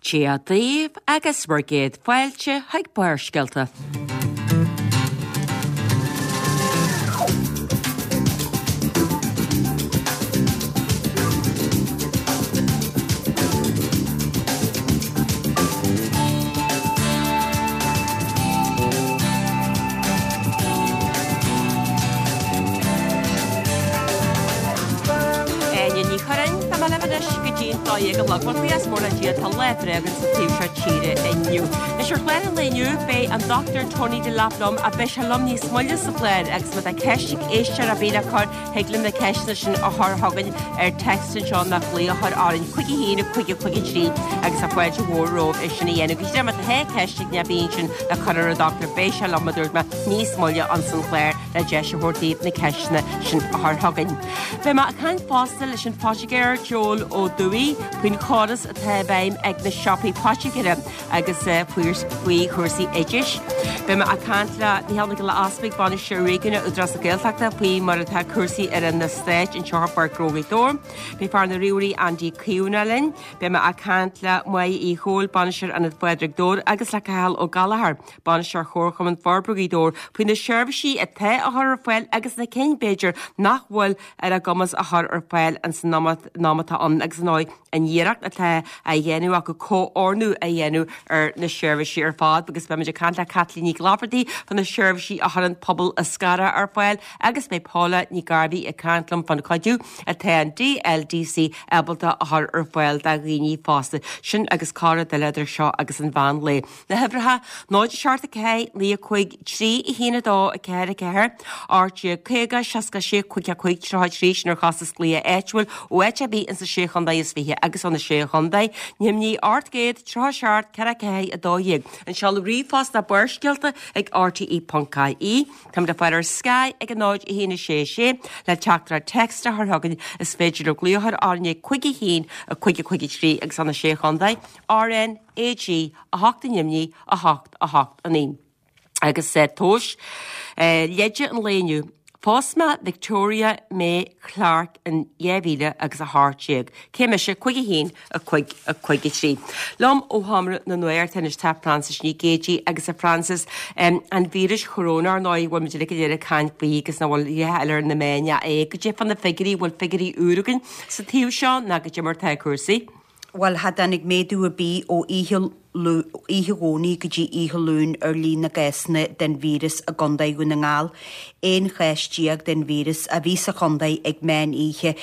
Dia daoibh agus bhur gcéad fáilte chuig Barrscéalta. Áine Ní Churráin, Tá mé libh anois go dtí an 12 a chlog. Bhuel, buíochas mór le Dia, tá lá breá againn sa taobh seo tíre inniu. Anois ar chlár an lae inniu, beidh an Dr Tony Delap liom ach beidh sé liom níos moille sa chlár agus má tá ceist ag éisteoir ar bith le cur, thig libh na ceisteanna sin a chur chugainn ar text anseo nó glaoch a chur orainn 5 1 5 5 3 agus tá fáilte mhór romhaibh é sin a dhéanamh. Go díreach má tá ceist ag duine ar bith ansin le cur ar an Dr beidh sé liom a dúirt mé níos moille ansan chlár le deis a thabhairt daoibh na ceisteanna sin a chur chugainn. Beidh mé ag caint fosta leis an phoitigéir Joel Ó Dubhaigh faoin chóras atá i bhfeidhm ag na siopaí poitigéara agus faoi chúrsaí oideachais. Beidh mé ag caint le Micheál Mac Giolla Easpaig, Bainisteoir Réigiúnach Údarás na Gaeltachta faoi mar atá cúrsaí ar an eastát anseo i bPáirc Ghnó Ghaoth Dobhair. Beidh fear na ríomhairí Andy Caomhánach linn. Beidh mé ag caint le Máire Uí Chomhaill, Bainisteoir Ionad Phádraig Dobhair agus le Cathal Ó Gallchóir, Bainisteoir Chomharchumann Forbartha Ghaoth Dobhair, faoi na seirbhísí atá á chur ar fáil agus na cinn, b'fhéidir, nach bhfuil ar a gcumas a chur ar fáil ins an am atá ann agus, ar ndóigh, an iarracht atá á dhéanamh acu comhordú a dhéanamh ar na seirbhísí ar fad agus beimid ag caint le Caitlín Nic Laifeartaigh fá na seirbhísí a chuireann Pobal Eascarrach ar fáil agus beidh Paula Ní Ghairbhí ag caint liom fán chuidiú atá an DLDC ábalta a chur ar fáil do dhaoine fásta. Sin agus corrrud eile idir seo agus an mheán lae. Na huimhreacha, 0 7 4 9 5 3 1 2 4 4 18 50 66 5 5 33 sin ar chostas glaoch áitiúil ó áit ar bith insa Sé Chontae is Fiche agus ó na Sé Chontae. Nimhní 837 4 4 12. An seoladh ríomhphost ná barrscéalta ag rte.ie. Táimid le fáil ar Sky ag 0 1 6 6 le teachtaireacht text a chur chugainn. Is féidir libh glaoch a chur orainn ag 5 1 5 5 3 agus ó na Sé Chontae. RN AG 8 i nDoimní 8 8 9. Agus tomhas leide an lae inniu. Phós mé Victoria May Clarke in 2000 agus 18. Cé mise 5 1 5 5 3. Liom ó Sheomra na Nuachta anois tá Frances Ní Géidigh agus a Frances an víris choróna ar ndóigh bhfuil muid uilig go léir ag caint faoi agus nach bhfuil a dhath eile ar na meáin ach é. Goidé fá na figiúirí, bhfuil figiúirí úr againn sa taobh seo ná goidé mar atá cúrsaí? Bhuel, cha dtáinig méadú ar bith ó oíche oíche Dhomhnaigh go dtí oíche Luain ar líon na gcásanna den víreas i gContae Dhún na nGall. 11 chás den víreas a bhí sa chontae ag meán oíche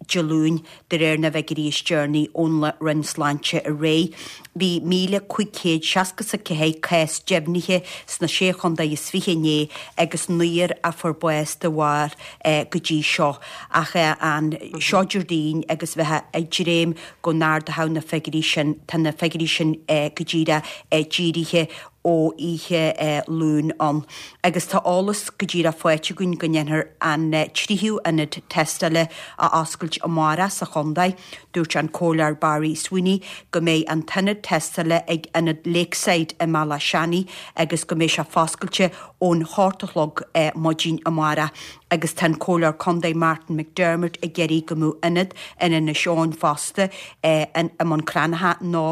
Dé Luain, de réir na bhfigiúirí is deireanaí ón Roinn Sláinte aréir. Bhí 1,564 cás deimhnithe sna Sé Chontae is Fiche inné agus naoir a fuair bás de bharr go dtí seo. Ach an seo Déardaoin agus bheifeá ag dréim go n-ardódh na figiúirí sin, tá na figiúirí sin go díreach dírithe ó oíche Luain ann. Agus tá eolas go díreach faighte againn go ndéanfar an tríú ionad tástála a oscailt amárach sa chontae. Dúirt an Comhairleoir Barry Sweeney go mbeidh an t-ionad tástála ag Ionad Lakeside i mBealach Seanaidh agus go mbeidh sé foscailte ón hocht a chlog maidin amárach agus tá an Comhairleoir Contae Martin McDermott ag iarraidh go mbeadh ionad in Inis Eoghain fosta i mBun Cranncha nó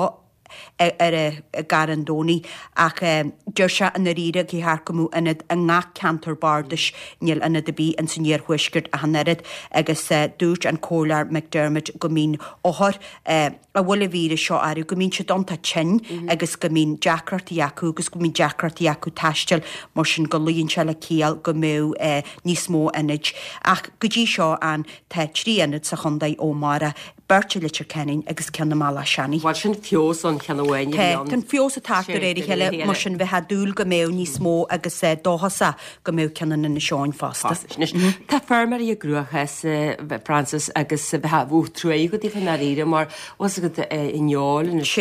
ar i gCarn Domhnach ach deir sé i ndáiríre gur cheart go mbeadh ionad i ngach ceantar bardais, níl ionad ar bith ins an iarthuaisceart ach an oiread agus dúirt an Comhairleoir McDermott go mbíonn othair a bhfuil an víreas seo orthu, go mbíonn siad iontach tinn agus go mbíonn deacrachtaí acu agus go mbíonn deacrachtaí acu taisteal mar sin go luíonn sé le ciall go mbeadh níos mó ionaid. Ach go dtí seo an tá 3 ionad sa chontae ó amárach, beirt i Leitir Ceanainn agus ceann i mBealach Seanaidh. Bhuel sin feabhas ón cheann amháin a bhí ann. Tá an feabhas ag teacht de réir a chéile mar sin bheifeá ag dúil go mbeadh níos mó agus dóchasach go mbeadh ceann in Inis Eoghain fosta. Anois, tá feirmeoirí i gcruachás, Frances, agus bheifeá truaigh agat daofa i ndáiríre mar bhfuil a fhios agat an fheoil anois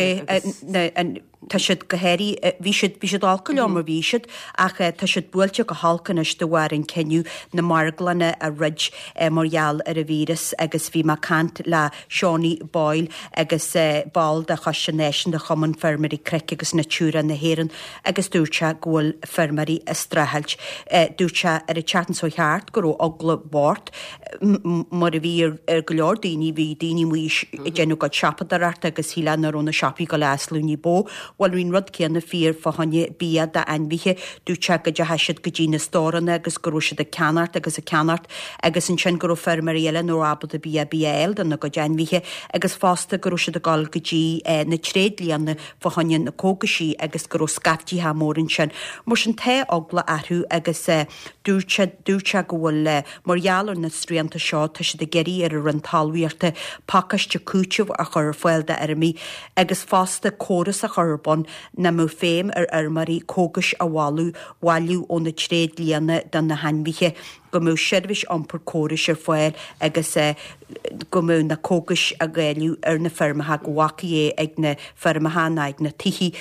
agus. Tá siad go háirithe, bhí siad, bhí siad olc go leor mar bhí siad, ach tá siad buailte go holc anois de bharr an cinneadh na marglanna a dhruid mar gheall ar an víreas agus bhí mé ag caint le Seánie Boyle agus ball de Choiste Náisiúnta Chumann Feirmeoirí Cnoic agus Natura na hÉireann agus dúirt sé go bhfuil feirmeoirí ag streachailt. Dúirt sé ar an tseachtain seo thart go raibh eagla bocht mar a bhí ar go leor daoine, bhí daoine amuigh ag déanamh a gcuid siopadóireachta agus shílfeá nach raibh na siopaí ag dul a oscailt ní ba mhó. Bhuel bhí an rud céanna fíor fá choinne bia d'ainmhithe. Dúirt sé go dteachaigh siad go dtí na stóranna agus go raibh siad ag ceannacht agus ag ceannacht agus ansin go raibh feirmeoirí eile nach raibh ábalta bia ar bith a fháil dona gcuid ainmhithe agus fosta go raibh siad ag dul go dtí na tréidlianna fá choinne na cógaisí agus go raibh scaiftithe mór ansin. Mar sin tá eagla orthu agus dúirt sé, dúirt sé go bhfuil, mar gheall ar na srianta seo, tá siad ag iarraidh ar an Roinn Talmhaíochta pacáiste cúitimh a chur ar fáil d'fheirmeoirí agus fosta córas a chur ar bun nach mbeadh feidhm ar fheirmeoirí cógais a bhailiú, bhailiú ó na tréidlianna do na hainmhithe. go mbeadh seirbhís iompair córais ar fáil agus go mbeadh na cógais á ndáileadh ar na feirmeacha, go bhfágfaí é ag na feirmeacha ná ag na tithe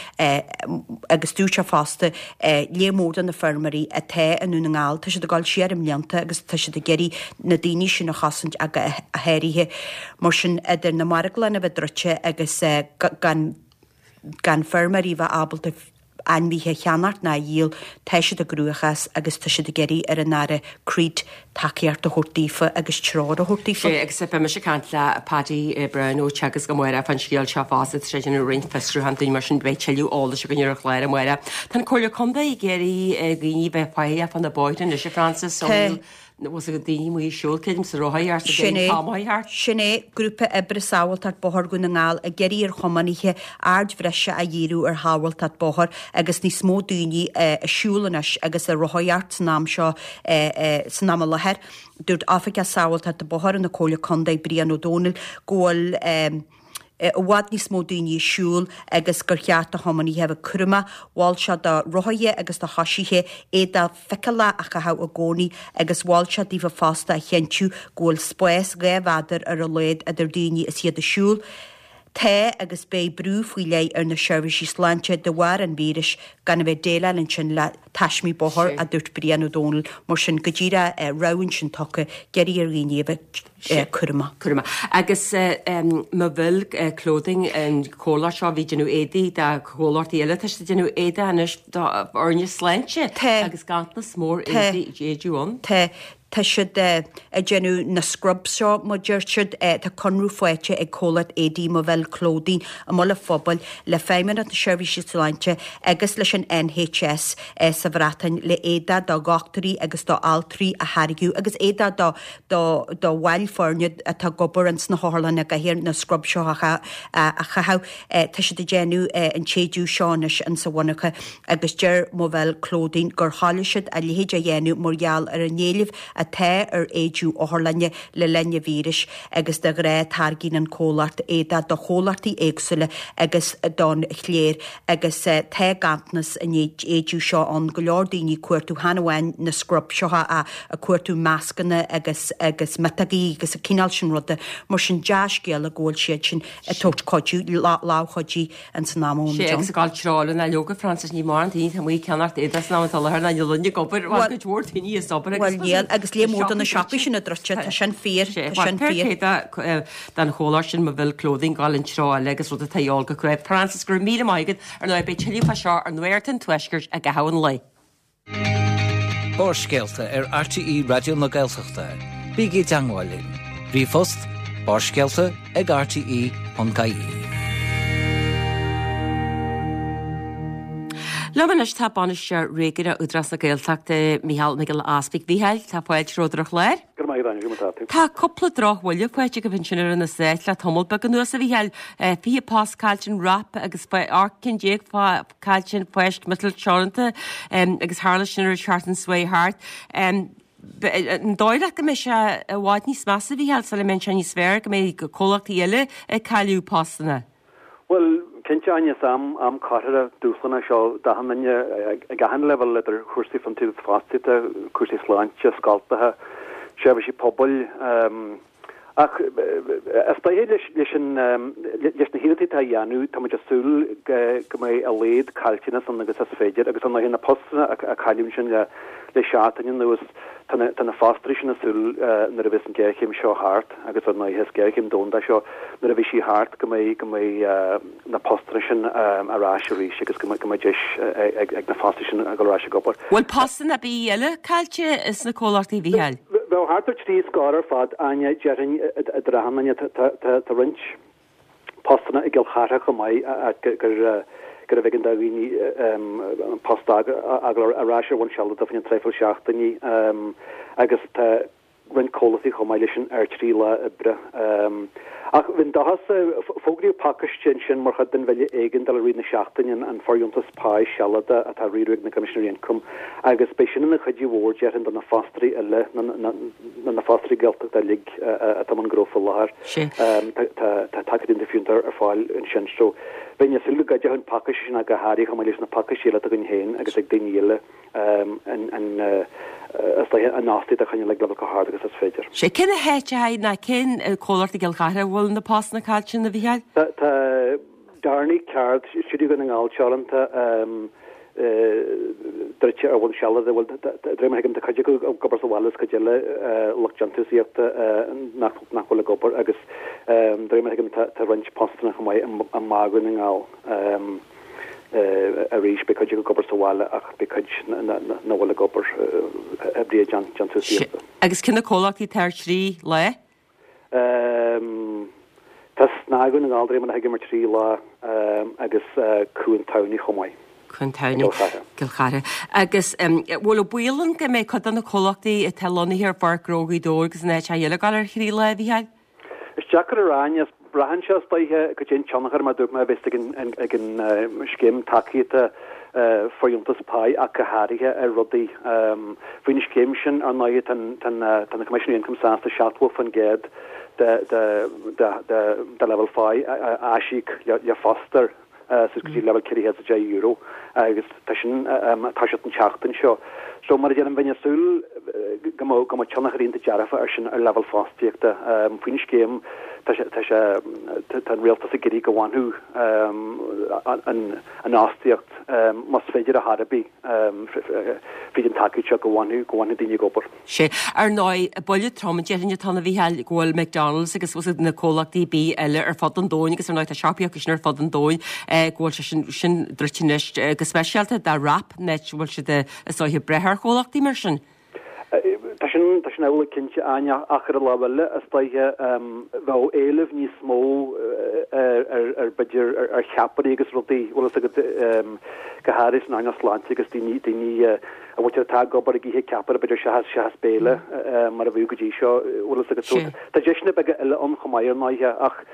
agus dúirt sé fosta, léar mór de na feirmeoirí atá i nDún na nGall, tá siad ag dul siar i mblianta agus tá siad ag iarraidh na daoine sin a chosaint ach go háirithe. Mar sin, idir na marglanna a bheith druidte agus gan gan feirmeoirí a bheith ábalta ainmhithe a cheannacht ná a dhíol, tá siad i gcruachás agus tá siad ag iarraidh ar an Aire Creed tacaíocht a thabhairt daofa agus treoir a thabhairt daofa. Sea, agus beidh mise ag caint le Paddy Brown ó Teagasc amárach fán scéal seo fosta, tá sé ag déanamh roinnt fiosrúchán dúinn mar sin beidh tuilleadh eolais againn ar an chlár amárach. Tá an Comhairle Contae ag iarraidh ar dhaoine bheith faichilleach fá na bóithre anois, a Frances, ó Tá. bhfuil a fhios agat daoine amuigh ag siúl, creidim, sa rothaíocht, sa Sin é. thart. Sin é, Grúpa Oibre Sábháilteacht Bóthair Dhún na nGall ag iarraidh ar thiománaithe aird bhreise a dhíriú ar shábháilteacht bóthair agus níos mó daoine ag siúl anois agus ag rothaíocht san am seo san am i láthair. Dúirt Oifigeach Sábháilteachta Bóthair na Comhairle Contae Brian Ó Dónaill go bhfuil i bhfad níos mó daoine ag siúl agus gur cheart do thiománaithe a bheith cúramach. Mhol sé do rothaithe agus do choisithe éadach feiceálach a chaitheamh i gcónaí agus mhol sé daofa fosta a chinntiú go bhfuil spás 2 mhéadar ar a laghad idir daoine is iad ag siúl. Tá agus beidh brú faoi leith ar na seirbhísí sláinte de bharr an víris gan a bheith ag déileáil ansin le taismí bóthair, a dúirt Brian Ó Dónaill. Mar sin, go díreach rabhadh ansin tugtha, ag iarraidh ar dhaoine a bheith. Cúramach. Cúramach. Agus Moville Clothing, an comhlacht seo a bhí ag déanamh éadaí do chomhlachtaí eile, tá siad ag déanamh éadaí anois do fhoirne sláinte Tá. agus ganntanas mór Tá. éadaí éadaí ann. Tá. Tá siad ag déanamh na scrubs seo, mar deir siad. Tá conradh faighte ag comhlacht éadaí Moville Clothing i mBaile Phobail le Feidhmeannacht na Seirbhíse Sláinte agus leis an NHS sa Bhreatain le éadach do dhochtúirí agus do altraí a tháirgeadh agus éadach do do do bhaill foirne atá ag obair ins na hotharlanna go háirithe na scrubs seo a chaitheamh. Tá siad ag déanamh an t-éideadh seo anois insa mhonarcha agus deir Moville Clothing gur thoiligh siad a leithéid a dhéanamh mar gheall ar an éileamh atá ar éideadh otharlainne le linn an víris agus de ghnáth táirgíonn an comhlacht éadach do chomhlachtaí éagsúla agus don chléir agus tá ganntanas an éideadh seo ann, go leor daoine ag cuartú chan amháin na scrubs seo ach ag cuartú mascanna agus agus miotógaí agus an cineál sin ruda. Mar sin dea-scéala go bhfuil siad sin ag tabhairt cuidiú, lámh chuidí ins an am a bhfuil muid ann. Sea, agus ag gabháil treo na leoga, Frances, ní mórán daoine atá amuigh ag ceannacht éadaí san am atá i láthair ná níl duine ag obair, bhuel, cuid mhór daoine as obair agus Bhuel níl, agus léar mór de na siopaí sin ag druid, tá sin fíor, tá sin fíor. don chomhlacht sin Moville Clothing gabháil an treo eile agus rud atá a dhíobháil go cruaidh. Frances, go raibh míle maith agat. Ar ndóigh, beidh tuilleadh fá seo ar Nuacht an Tuaiscirt i gcaitheamh an lae. Barrscéalta ar RTÉ Raidió na Gaeltachta. Bígí i dteangmháil linn. Ríomhphost, barrscéalta ag rte.ie. Liom anois tá Bainisteoir Réigiúnach Údarás na Gaeltachta, Micheál Mac Giolla Easbuig. Mhichíl, tá fáilte romhat ar an chlár. Go raibh maith agat, Áine, conas atá tú? Tá cúpla drochbhuille faighte agaibh ansin ar na Stáit le tamall beag anuas, a Mhichíl. 20 post caillte in WRAP agus 18 cinn caillte in Fáisc Miotal Teoranta agus tharla sin ar an tseachtain seo chuaigh thart. An dóigh leat go mbeidh sé i bhfad níos measa, a Mhichíl, sula mbeidh sé níos fearr, go mbeidh comhlachtaí eile ag cailleadh postanna? Bhuel, cinnte, Áine, is am, am corraitheach dúshlánach seo d'achan duine ag achan leibhéal, idir chúrsaí fiontraíochta fostaíochta, cúrsaí sláinte, scoltacha, seirbhísí pobail. Ach is dóiche leis an, leis na hiarrachtaí atá á dhéanamh, tá muid ag súil go mbeidh a laghad caillteanas ann agus is féidir agus ar ndóighe na postanna a cailleadh ansin le seachtain anuas, tá na, tá na fostóirí sin ag súil nuair a bheas an ghéarchéim seo thart agus ar ndóighe is géarchéim domhanda seo, nuair a bheidh sí thart go mbeidh, go mbeidh na postanna sin ar ais arís agus go mbeidh deis ag na fostóirí sin a dhul ar ais ag obair. Bhfuil postanna ar bith eile caillte sna comhlachtaí, a Mhícheáil? Bheadh thart ar thrí scór ar fad, Áine, déarfainn, i dtrátha an Tá roinnt postanna i gCill Chartha chomh maith gurbh éigean do dhaoine post a fhágáil ar ais ar bhonn sealadach fá choinne traidhfil seachtainí agus tá roinnt comhlachtaí chomh maith leis sin ar thrí lá oibre. Ach bheinn dóchasach, fógraíodh pacáiste ansin mar chuid den bhille éigeandála i rith na seachtaine, an fóirdheontas páí sealadach atá á riaradh ag na Coimisinéirí Ioncaim, agus beidh sin ina chuidiú mhór, déarfainn, do na fostóirí uile, na fostóirí Gaeltachta uilig atá i mbun gnó faoi láthair. Tá tacaíocht iontach fiúntach ar fáil ansin. So, bheinn ag súil go gcuideoidh an pacáiste sin ach go háirithe chomh maith leis na pacáistí eile atá againn féin agus ag daoine eile. an fhostaíocht a choinneáil ag leibhéal chomh hard agus is féidir. Sea, cé na háiteacha nó cén comhlacht i gCill Chartha a bhfuil na postanna caillte, a Mhícheáil? Tá Darney Ceard, Stiúideo Dhún na nGall Teoranta, druidte ar bhonn sealadach, bhuel, de réir mar a thuigim, tá cuid acu ag obair sa bhaile is cuid eile lucht déantúsaíochta nach bhfuil ag obair agus de réir mar a thuigim tá roinnt postanna chomh maith i mBá Dhún na nGall. Arís, beidh cuid acu ag obair sa bhaile ach beidh cuid nach bhfuil ag obair, oibrithe déantúsaíochta. Agus cé na comhlachtaí atá ar thrí lá? Tá SnaG Dhún na nGall, de réir mar a thuigim, ar thrí lá agus Cuan Tamhnaí chomh maith. Cuan Tamhnaí. I gCill Chartha. Agus bhfuil baol ann go mbeidh cuid de na comhlachtaí atá lonnaithe ar Pháirc Ghnó Ghaoth Dobhair agus in áiteacha eile ag dul ar thrí lá, a Mhícheáil? Is deacair a rá, Áine. Braitheann sé, is dóiche, cad é an tionchar, mar a dúirt mé, a bheas ag an scéim tacaíochta fóirdheontas páí ach go háirithe ar rudaí. Faoin scéim sin, ar ndóigh, tá na Coimisinéirí Ioncaim sásta 70% de do leibhéal pháí a aisíoc le fostóir. suas go dtí leibhéal €410 agus tá sin ag toiseacht an tseachtain seo. So mar a deirim, bheinn ag súil go mbeadh go mbeadh tionchar iontach dearfach air sin ar leibhéal fostaíochta. Faoin scéim tá sé tá sé tá an rialtas ag iarraidh go bhfanfadh an an fhostaíocht más féidir ar chor ar bith fríd an tacaíocht seo go bhfanfadh go bhfanfadh daoine ag obair. Sea. Ar ndóigh, buille trom déarfainn atá ann a Mhícheáil, go bhfuil McDonald's agus bhfuil na comhlachtaí bídh eile ar fud an domhain agus ar ndóigh tá siopaí acu sin ar fud an domhain, go bhfuil sé sin, sin druidte anois go speisialta do Wrap, an áit a bhfuil siad is dóiche ag brath ar chomhlachtaí mar sin. Tá sin, tá sin amhlaidh cinnte, Áine, ach ar an lámh eile, is dóiche, bheadh éileamh níos mó ar, ar, ar b'fhéidir, ar cheapairí agus rudaí, bhfuil fhios agat, go háirithe san earnáil sláinte agus daoine, daoine, a bhfuiltear atá ag obair ag ithe ceapaire b'fhéidir seachas seachas béile mar a bhíodh go dtí seo, bhfuil fhios agat. So tá deiseanna beaga eile ann chomh maith ar ndóighe ach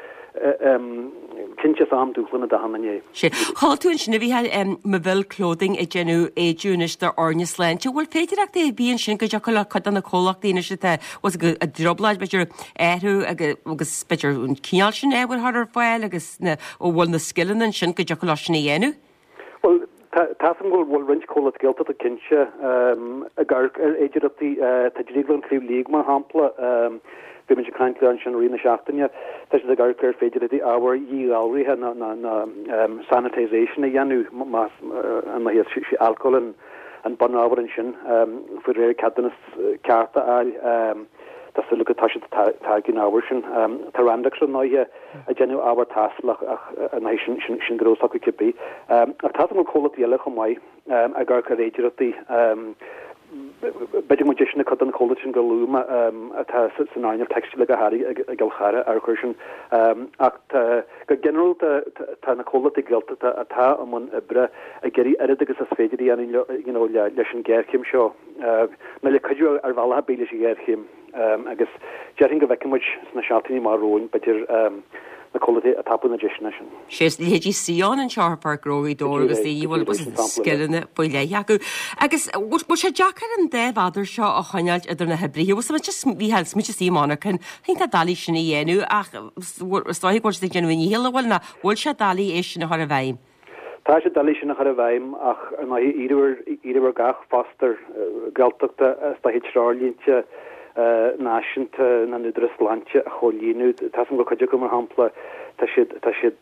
cinnte is am dúshlánach d'achan duine é. Sea. Chuala tú ansin a Mhícheáil, Maville Clothing ag déanamh éide anois d'fhoirne sláinte. Bhfuil féidearthachtaí ar bith ansin go dtiocfadh le cuid de na comhlachtaí anois atá bhfuil fhios agat i dtrioblóid b'fhéidir athrú agus b'fhéidir an cineál sin ábhair a chur ar fáil agus na, bhfuil na scileanna ansin go dtiocfadh leo sin a dhéanamh? Bhuel, tá a fhios agam go bhfuil roinnt comhlacht Gaeltachta cinnte ag amharc ar fhéidearthachtaí. Tá Drioglann Shliabh Liag, mar shampla, bhí muid ag caint leo ansin i rith na seachtaine, tá siad ag amharc ar féidearthachtaí ábhar dhíghalraithe nó sanitisation a dhéanamh, más ar ndóighe is é alcól an bunábhar ansin, faoi réir ceadúnas ceart a fháil. Tá súil acu go dtosóidh siad ag táirgeadh an ábhair sin. Tá Randox ar ndóighe ag déanamh ábhar taistil ach ar ndóighe sin sin gnó s'acu cibé. Ach tá a fhios agam go bhfuil comhlachtaí eile chomh maith ag amharc ar fhéidearthachtaí. B'fhéidir go mbeadh deiseanna ag cuid de na comhlachtaí sin gur luaigh mé atá san earnáil teicstíle go háirithe i gCill Chartha amharc air sin. Ach tá go ginearálta tá na comhlachtaí Gaeltachta atá i mbun oibre ag iarraidh oiread agus is féidir a dhéanamh you know leis an ghéarchéim seo nó le cuidiú ar bhealach ar bith leis an ghéarchéim. Agus déarfainn go bhfeicfidh muid sna seachtainí amach romhainn, b'fhéidir, na comhlachtaí ag tapú na deiseanna sin. Sea, is leithéidí Sion anseo ar Pháirc Ghnó Ghaoth Dobhair agus daoine a bhfuil scileanna faoi leith acu. Agus bhfuil sé deacair an dá mhéadar seo a choinneáilt idir na hoibrithe? Bhfuil sé just, Mhícheáil, smaointe is í monarchan, iontach doiligh sin a dhéanamh ach is dóigh go bhfuil siad ag déanamh a ndícheall, an bhfuil, nó bhfuil sé doiligh é sin a chur i bhfeidhm? Tá sé doiligh sin a chur i bhfeidhm ach ar ndóigh iarradh ar gach fostóir Gaeltachta is dóiche treoirlínte. Náisiúnta na nÚdarás Sláinte a chomhlíonadh. Tá 's agam go bhfuil cuid acu, mar shampla, tá siad, tá siad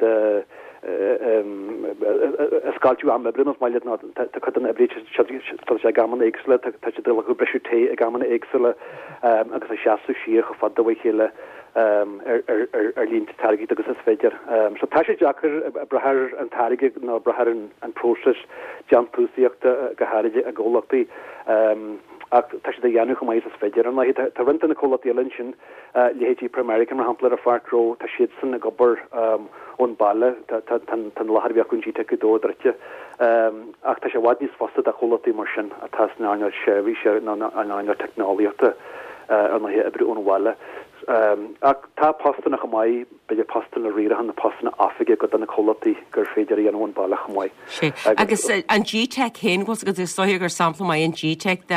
ag scoilteadh am oibre más maith leat nó tá cuid de na oibrithe tá sé ag amanna éagsúla, tá siad ag glacadh briseadh tae ag amanna éagsúla agus ag seasamh siar chomh fada uaidh chéile ar línte táirgíochta agus is féidir. So tá sé deacair ag brath ar an táirge nó ag brath ar an próiseas déantúsaíochta go háirid i gcomhlachtaí. Ach tá siad á dhéanamh chomh maith is is féidir. Ar ndóigh, tá roinnt de na comhlachtaí eile ansin, leithéidí Primerica mar shampla ar an Pháirc Ghnó, tá siadsan ag obair ón baile, tá an láthair a bhí acu in Gteic Ghaoth Dobhair druidte. Ach tá sé i bhfad níos fusa do chomhlachtaí mar sin atá san earnáil seirbhíse nó an earnáil teicneolaíochta, ar ndóigh, oibriú ón bhaile. Ach tá postanna chomh maith. b'fhéidir postanna riaracháin nó postanna oifige i gcuid de na comhlachtaí gur féidir a dhéanamh ón baile chomh maith. Sea. Agus an Gteic féin, bhfuil 's agat, is dóiche gur sampla maith an Gteic de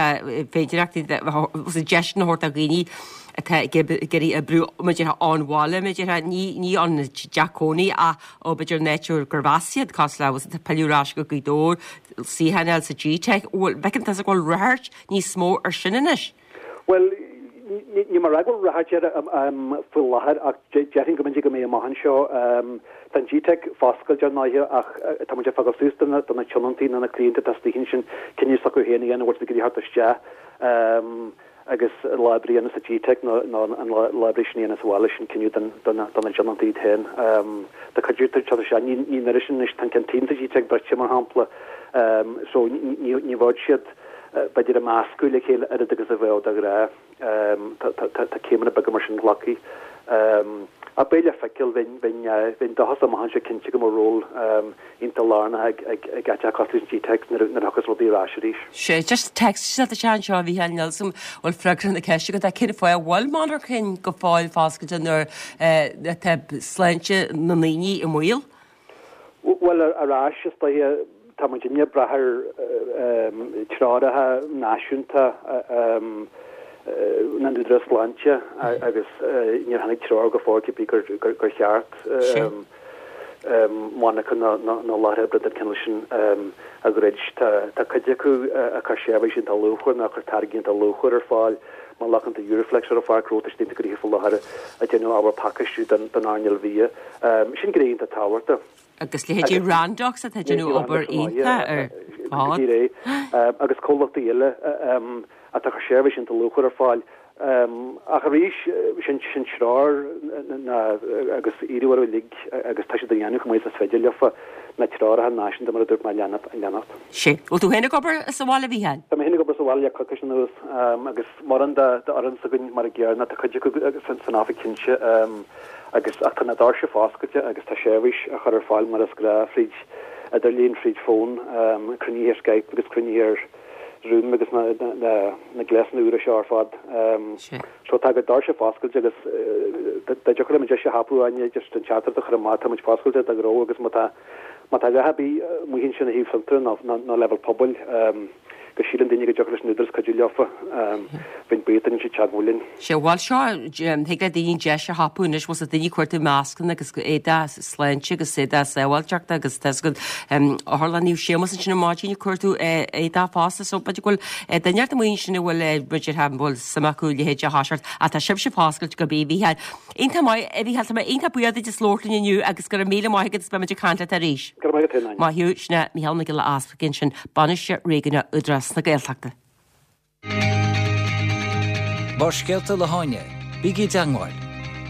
féidireachtaí, de deiseanna a thabhairt do dhaoine atá ag iarraidh oibriú, mar a déarfá, ón bhaile, mar a déarfá, ní ní ón dteach cónaí ach ó b'fhéidir an áit gurb as iad, cosúil le, bhfuil 's agat, pilleadh ar ais go Gaoth Dobhair, suíochán a fháil sa Gteic. Bhfuil, bhfeiceann tusa go bhfuil ráchairt níos mó ar sin anois? Bhuel, níl mé ag rá go bhfuil ráchairt air faoi láthair ach déarfainn go mb'fhéidir go mbeidh amach anseo. Tá an Gteic foscailte ar ndóighe ach tá muid ag fágáil suas do na tionóntaí nó na cliaint atá istigh ansin cinneadh s'acu féin a dhéanamh an bhfuil siad ag iarraidh theacht isteach agus lá oibre a dhéanamh sa Gteic nó an lá oibre sin a dhéanamh sa bhaile, sin cinneadh do na tionóntaí iad féin. Tá cuid acu ag teacht isteach, ní an oiread sin anois, tá an canteen sa Gteic druidte mar shampla so ní bheadh siad b'fhéidir ag meascadh le chéile oiread agus a bheadh de ghnáth. Tá céimeanna beaga mar sin glactha. Ach beidh le feiceáil, bheinn dóchasach amach anseo cinnte go mbeidh ról iontach lárnach ag áiteacha cosúil leis an Gteic nuair a thiocfas rudaí ar ais arís. Sea, just text isteach anseo a Mhícheáil níl 's agam bhfuil freagra na ceiste agat ach cén fáth a bhfuil monarchain go fóill foscailte nuair atá sláinte na ndaoine i mbaol? Bhuel, ar ais, is dóiche, tá muidinne ag brath ar treoracha náisiúnta na n-údarás sláinte agus níor tháinig treoir go fóill cibé gur cheart monarcha nó láthair oibre den chineál sin a dhruid. Tá cuid acu ag cur seirbhísí iontach luachmhar nó ag cur táirgí iontach luachmhar ar fáil mar ghlacann tú Euroflex ar an Pháirc Ghnó, tá siad iontach gnoitheach faoi láthair ag déanamh ábhar pacáistiú don earnáil bhia. Sin gné iontach tábhachtach. Agus leithéidí Randox atá ag déanamh obair iontach ar fad. Agus comhlachtaí eile atá ag cur seirbhísí iontach luachmhar ar fáil. Ach arís, sin treoir agus iarradh orthu uilig agus tá siad á dhéanamh chomh maith is is féidir leofa, na treoracha náisiúnta mar a dúirt mé a leanacht. Sea. Bhfuil tú féin ag obair sa bhaile, a Mhícheáil? Tá mé féin ag obair sa bhaile le coicís anuas agus mórán d'fhoireann s'againn mar an gcéanna, tá cuid acu san oifig cinnte. Agus, ach tá na doirse foscailte agus tá seirbhís á chur ar fáil mar is gnáth fríd idirlíon, fríd fón, cruinnithe ar Skype agus cruinnithe ar Zoom agus na na gléasanna úra seo ar fad. So tá na doirse foscailte agus dá dtiocfadh liom an deis a thapú Áine, just an teachtaireacht a chur amach, tá muid foscailte do ghnó agus má tá má tá a dhath ar bith amuigh ansin ó thaobh fiontair nó nó leibhéal pobail, go síleann daoine go dtiocfadh leis an Údarás cuidiú leofa, bheinn buíoch dá ndéanfadh siad teagmháil linn. Sea, bhuel seo, thig le daoine deis a thapú anois, bhfuil 's ag daoine ag cuartú mascanna agus éadach sláinte agus éadach sábháilteachta agus tá 's agat, Otharlann Naomh Séamus ansin ar maidin ag cuartú éadach fosta, so b'fhéidir go bhfuil duine ort amuigh ansin a bhfuil, b'fhéidir, a bhfuil suim acu a leithéid a thoiseacht, ach tá sibhse foscailte go bí, a Mhícheáil. Iontach maith, a Mhícheáil, tá mé iontach buíoch duit as labhairt linn inniu agus go raibh míle maith agat agus beidh muid ag caint leat arís. Go raibh maith agat féin, Áine. Maith thú, sin é Mícheál Mac Giolla Easpaig ansin, Bainisteoir Réigiúnach Údarás na Gaeltachta. Barrscéalta le hÁine, bígí i dteangmháil,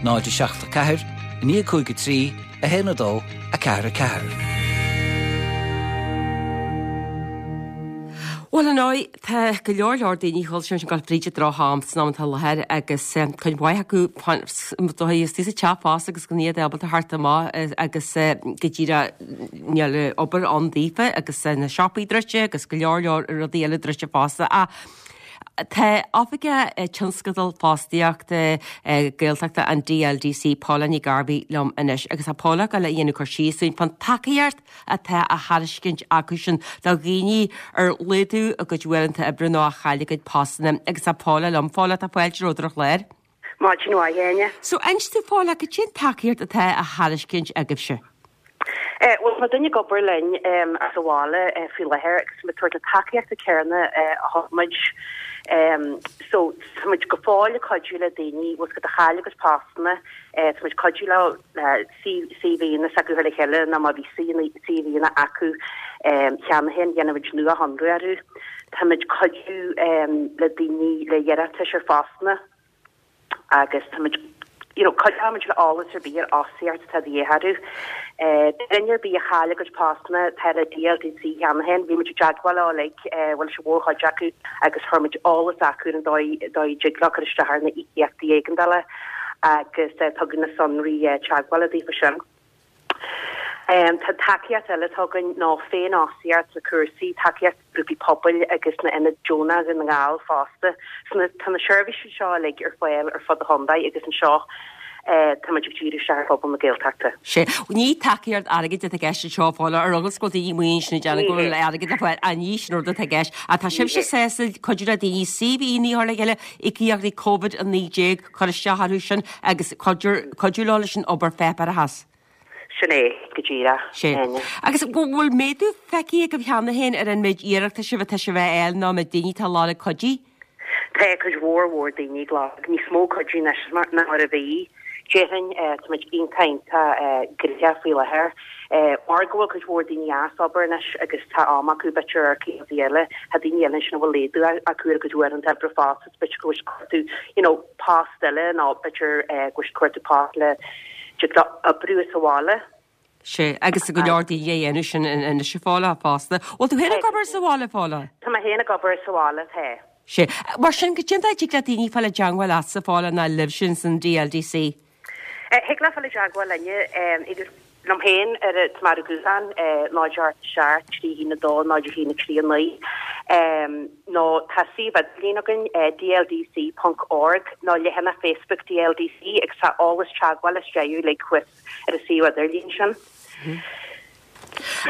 0 7 4 9 5 3 1 2 4 4. Bhuel, ar ndóigh, tá go leor leor daoine chuile sin ag gabháil fríd an droch-am san am atá i láthair agus cuid mhaith acu dóigh istigh sa teach fosta agus gan iad ábalta theacht amach agus go díreach níl obair ann daofa agus na siopaí druidte agus go leor leor rudaí eile druidte fosta. Ach tá Oifigeach Tionscadal Fostaíochta Gaeltachta an DLDC, Paula Ní Ghairbhí liom anois agus tá Paula ag dul a dhéanamh cur síos dúinn fán tacaíocht atá á thairiscint acusan do dhaoine ar laghdú a gcuid uaireanta oibre nó a chaill a gcuid postanna agus tá Paula liom. Paula, tá fáilte romhat ar an chlár. Maidin mhaith, a Áine. So, inis dúinn Paula, cad é an tacaíocht atá á thairiscint agaibhse? Bhuel, tá duine ag obair linn as an bhaile faoi láthair agus muid ag tabhairt na tacaíochta céanna a thug muid. So tá muid go fóill ag cuidiú le daoine, bhfuil a fhios agat, a chaill a gcuid postanna, tá muid ag cuidiú leo le CVanna s'acu a chur le chéile nó má bhí CVanna acu cheana féin, déanann muid nuashonrú orthu. Tá muid ag cuidiú le daoine le hiarratais ar phostanna. agus tá muid you know cuideoidh muid le eolas ar bith ar fhostaíocht atá de dhíth orthu. Duine ar bith a chaill a gcuid postanna atá le DLDC cheana féin, bhí muid i dteagmháil leo uilig, bhuel leis an mhórchuid acu agus chuir muid eolas acu ar an dóigh dóigh a dtig leo cur isteach ar na íocaíochtaí éigeandála agus tugadh na sonraí teagmhála daofa sin. Tá tacaíocht eile atá againn ná féinfhostaíocht na cúrsaí, tacaíocht grúpaí pobail agus na ionaid deonach Dhún na nGall fosta. So tá na seirbhísí seo uilig ar fáil ar fud an chontae agus anseo tá muid ag díriú isteach ar phobal na Gaeltachta. Sea. Ní tacaíocht airgid atá i gceist anseo a Phaula, ar eagla go bhfuil daoine amuigh ansin ag déanamh go bhfuil airgead le fáil, ach ní sin an rud atá i gceist. Ach tá sibhse sásta cuidiú le daoine CV-anna a chur le chéile, íocaíochtaí Covid-19, cur isteach orthu sin agus cuidiú leo leis an obair pháipéarachais. Sin é go díreach. Sea. Agus an bhfuil méadú feicthe agaibh cheana féin ar an méid iarratais atá sibh a fháil nó an méid daoine atá ag lorg cuidiú? Tá cuid mhór mhór daoine ag lorg níos mó cuidiú anois ná mar a bhí. Déarfainn tá muid iontach iontach gnoitheach faoi láthair. Mar go bhfuil cuid mhór daoine as obair anois agus tá am acu b'fhéidir ar rudaí eile, tá daoine eile ansin a bhfuil laghdú acu ar a gcuid uaireanta oibre fosta, b'fhéidir go bhfuil siad ag cuartú you know post eile nó b'fhéidir go bhfuil siad ag cuartú post le dtig leo oibriú as an bhaile. Sea, agus go leor daoine a dhéanamh sin anois a Phaula fosta. Bhfuil tú féin ag obair sa bhaile, a Phaula? Tá mé féin ag obair sa bhaile, tá. Sea. Mar sin, goidé an dóigh a dtig le daoine fáil i dteangmháil leatsa, a Phaula, nó libhse san DLDC? Thig leo fáil i dteagmháil linne, idir liom féin ar an tá mé ar an ghuthán, 0 8 7 3 1 2 0 1 3 9, nó tá suíomh idirlín againn, dldc ponc org, nó leathanach Facebook DLDC agus tá eolas teagmhála istigh uilig thuas ar an suíomh idirlín sin.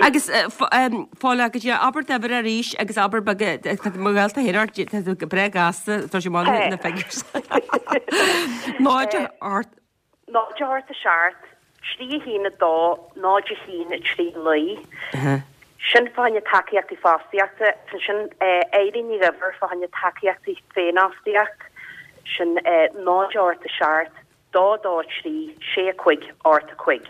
Agus Phaula, goidé, abair d'uimhir arís agus abair beag, tá mo ghaolta féin ort, tá tú breá gasta, tá sé maith na figures. 0 8. 0 8 7 3 1 2 0 1 3 9. Sin fá choinne tacaíochtaí fostaíochta. Ansin Eileen Ní Dhuibhir fá choinne tacaíochtaí féinfhostaíocht. Sin 0 8 7 2 2 3 6 5 8 5.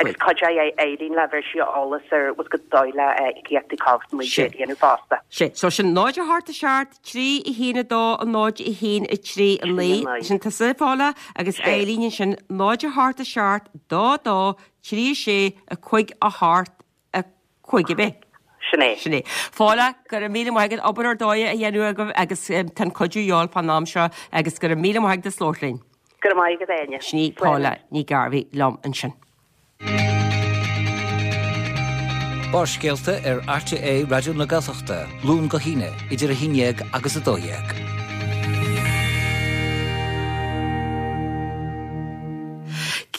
Agus cuideoidh Eileen le bheir sí eolas ar bhfuil go dóigh le íocaíochtaí Covid-19 a dhéanamh fosta. Sé. So sin 0 8 7 3 1 2 0 1 3 9. Sin tusa, a Phaula, agus Eileen ansin 0 8 7 2 2 3 6 5 8 5 ab é? Sin é. Sin é. Phaula, go raibh míle maith agat, obair ar dóigh á dhéanamh agaibh agus tá an cuidiú de dhíobháil fán am seo agus go raibh míle maith agat as labhairt linn. Go raibh maith agat, Áine. Sin í Paula Ní Ghairbhí liom ansin. Barrscéalta ar RTÉ Raidió na Gaeltachta, Luan go hAoine, idir 11 agus 12.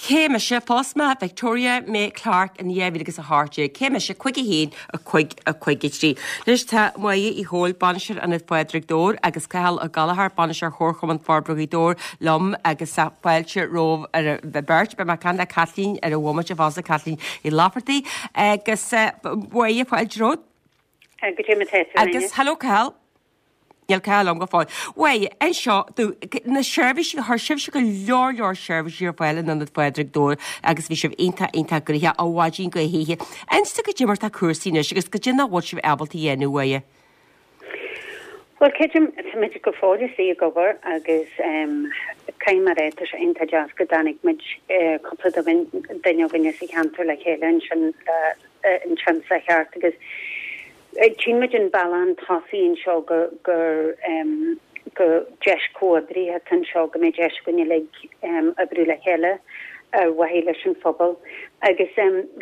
Cé mise? Phós mé Victoria May Clarke in 2018. Cé mise? 5 1 5 5 3. Anois tá Máire Uí Chomhaill, Bainisteoir Ionad Phádraig Dobhair agus Cathal Ó Gallchóir, Bainisteoir Chomharchumann Forbartha Ghaoth Dobhair liom agus fáilte romhaibh ar an bheirt. Beidh mé ag caint le Caitlín ar an bhomaite fosta, Caitlín Uí Laifeartaigh. Agus Máire, fáilte romhat. Goidé mar tá tú, Agus hello Cathal. Níl Cathal liom go fóill. Mháire, anseo, do na seirbhísí, chuir sibhse go leor leor seirbhísí ar fáil in Ionad Phádraig Dobhair agus bhí sibh iontach, iontach gnoitheach ó mhaidin go hoíche. Inis dom goidé mar tá cúrsaí anois agus goidé nach bhfuil sibh ábalta a dhéanamh, a Mháire. Bhuel, creidim, táimid go fóill istigh ag obair agus caithfidh mé a rá, tá sé iontach deas go dtáinig muid, cúpla duine againne sa cheantar le chéile ansin le an sa cheart agus Tchíonn muid an bealach chun tosaigh anseo gur gur gur deis comhoibrithe atá anseo, go mbeidh deis againn uilig oibriú le chéile ar mhaithe leis an phobal. Agus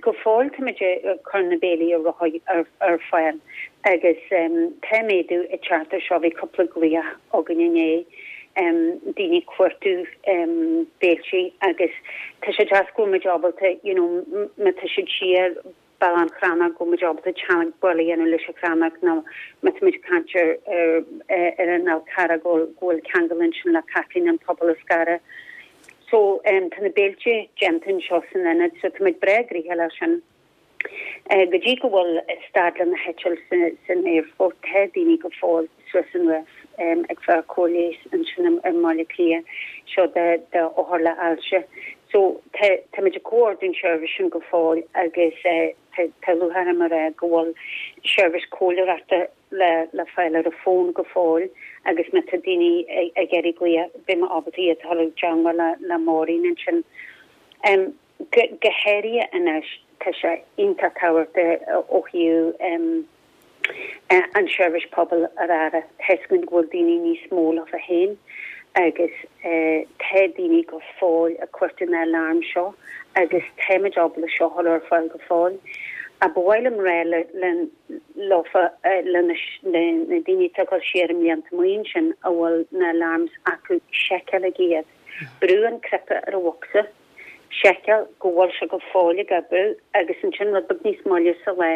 go fóill táimid ag cur na béilí ar ar fáil agus tá méadú ag teacht ar seo, bhí cúpla glaoch againn inné, daoine ag cuartú béiltí agus tá sé deas go bhfuil muid ábalta you know má tá siad siar Béal Átha an Chrannóg, go bhfuil muid ábalta teagmháil a dhéanamh leis an Chrannóg nó má tá muid ag caint ar ar an Fhál Carrach go bhfuil ceangal ansin le Caitlín an Pobal a Scaradh. So tá na béilte déanta anseo san ionad so tá muid breá gnoitheach leis sin. Go dtí go bhfuil stad le na heitilt san aerfort tá daoine go fóill suas anuas. ag fáil cóir leighis ansin i mBaile Átha Cliath, seo do d'othair le hailse. So tá táimid ag comhordú an seirbhís sin go fóill agus tá lúcháir orm a rá go bhfuil seirbhís comhairleoireachta le le fáil ar an bhfón go fóill agus má tá daoine ag iarraidh glaoch beidh mé ábalta iad a chur i dteangmháil le le Maureen ansin. Go go háirithe anois tá sé iontach tábhachtach ó thaobh an seirbhís pobail ar aire. Tá 'fhios againn go bhfuil daoine níos mó leofa féin agus tá daoine go fóill ag cuartú na alarm seo agus táimid ábalta seo a chur ar fáil go fóill. Ach ba mhaith liom rá le leofa le na daoine atá ag dul siar i mblianta amuigh ansin a bhfuil na alarms acu, seiceálaigí iad. Brú an cnaipe ar an bhocsa, seiceáil go bhfuil sé go fóill ag oibriú agus ansin rud beag níos moille sa lá,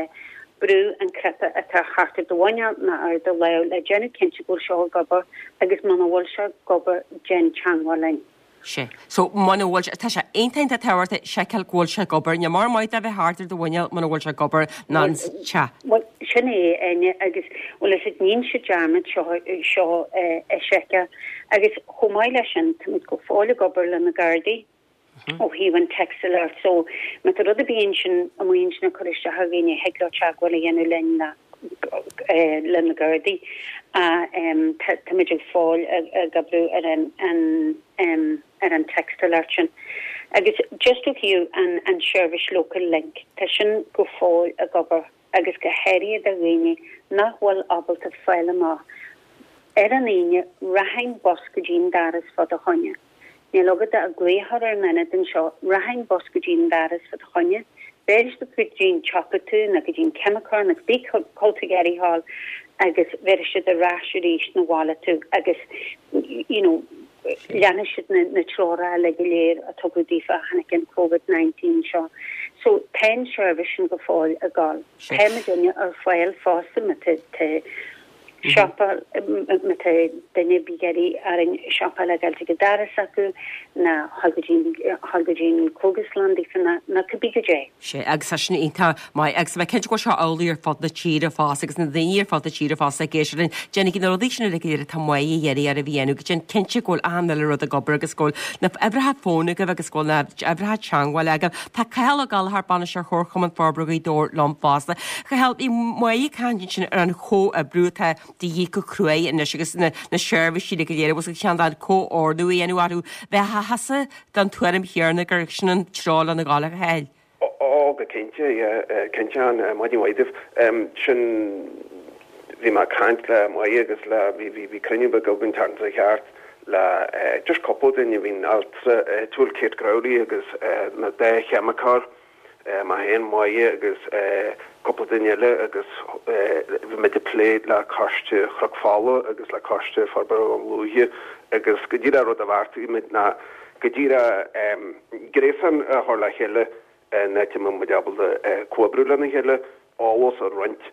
brú an cnaipe atá thart ar do mhuineál nó ar do lámh le déanamh cinnte go bhfuil seo ag obair agus muna bhfuil sé ag obair déan teangmháil linn. Sea. So, muna bhfuil sé, tá sé iontach iontach tábhachtach seiceáil go bhfuil sé ag obair. Ní mór maith dó bheith thart ar do mhuineál muna bhfuil sé ag obair ná an te. Bhuel, sin é, Áine, agus bhfuil fhios a'd níonn siad dearmad seo, seo a sheiceáil. Agus chomh maith leis sin, táimid go fóill ag obair le na Gardaí ó thaobh an text alert. So, má tá rud ar bith ansin amuigh ansin ag cur isteach ar dhaoine, thig leo teagmháil a dhéanamh linn le le na Gardaí. Táimid go fóill ag oibriú ar an ar an text alert sin. Agus just ó thaobh an an seirbhís local link, tá sin go fóill ag obair agus go háirithe do dhaoine nach bhfuil ábalta fáil amach ar an Aoine rachainn bus go dtí an doras fá do choinne. Níl agat ach glaoch ar an ionad anseo, rachaidh an bus go dtí an doras fá do choinne, béarfaidh siad go dtí an tsiopa tú nó go dtí an ceimiceoir nó cibé cá bhfuil tú ag iarraidh a ghabháil agus bhéarfaidh siad ar ais arís 'na bhaile tú agus you know leanfaidh siad na na treoracha uilig go léir a tugadh daofa ó tháinig an Covid 19 seo. So tá an seirbhís sin go fóill ag gabháil. Tá muidinne ar fáil fosta má tá tá siopa, má tá duine ar bith ag iarraidh orainn siopa le dhul chuig an doras acu ná dhul go dtí dhul go dtí an cógaslann daofa ná ná cibé goidé. Sea, agus tá sin iontach maith agus tá mé cinnte go bhfuil seo amhlaidh ar fud na tíre fosta agus na daoine ar fud na tíre fosta ag éisteacht linn. Déanaigí na rudaí sin uilig go léir atá Máire ag iarraidh oraibh a dhéanamh go déan cinnte go bhfuil achan uile rud ag obair agus go bhfuil na uimhreacha fóin agaibh agus go bhfuil na uimhreacha teagmhála agaibh. Tá Cathal Ó Gallchóir, Bainisteoir Chomharchumann Forbartha Ghaoth Dobhair liom fosta. Cathal, bhí Máire ag caint ansin ar an chomhoibriú atá de dhíth go cruaidh anois agus na seirbhísí uilig go léir agus an cineál comhordú a dhéanamh orthu. Bheifeása den tuairim chéanna gur sin an treo lena ghabháil, a Chathail? Ó, go cinnte, yeah, cinnte, maidin mhaith daoibh. Sin, bhí mé ag caint le Máire agus le, bhí, bhí, bhí cruinniú beag againn an tseachtain seo thart le just cúpla duine, bhí an altra áitiúil Kate Crowley agus na dá cheimiceoir, mé féin, Máire agus cúpla duine eile agus bhí muid ag plé le Coiste Chnoc Fola agus le Coiste Forbartha Dhún Lúiche agus go díreach rud a bheartaigh muid ná go díreach gréasán a chur le chéile in áit a mbeidh muid ábalta comhoibriú lena chéile, eolas a roinnt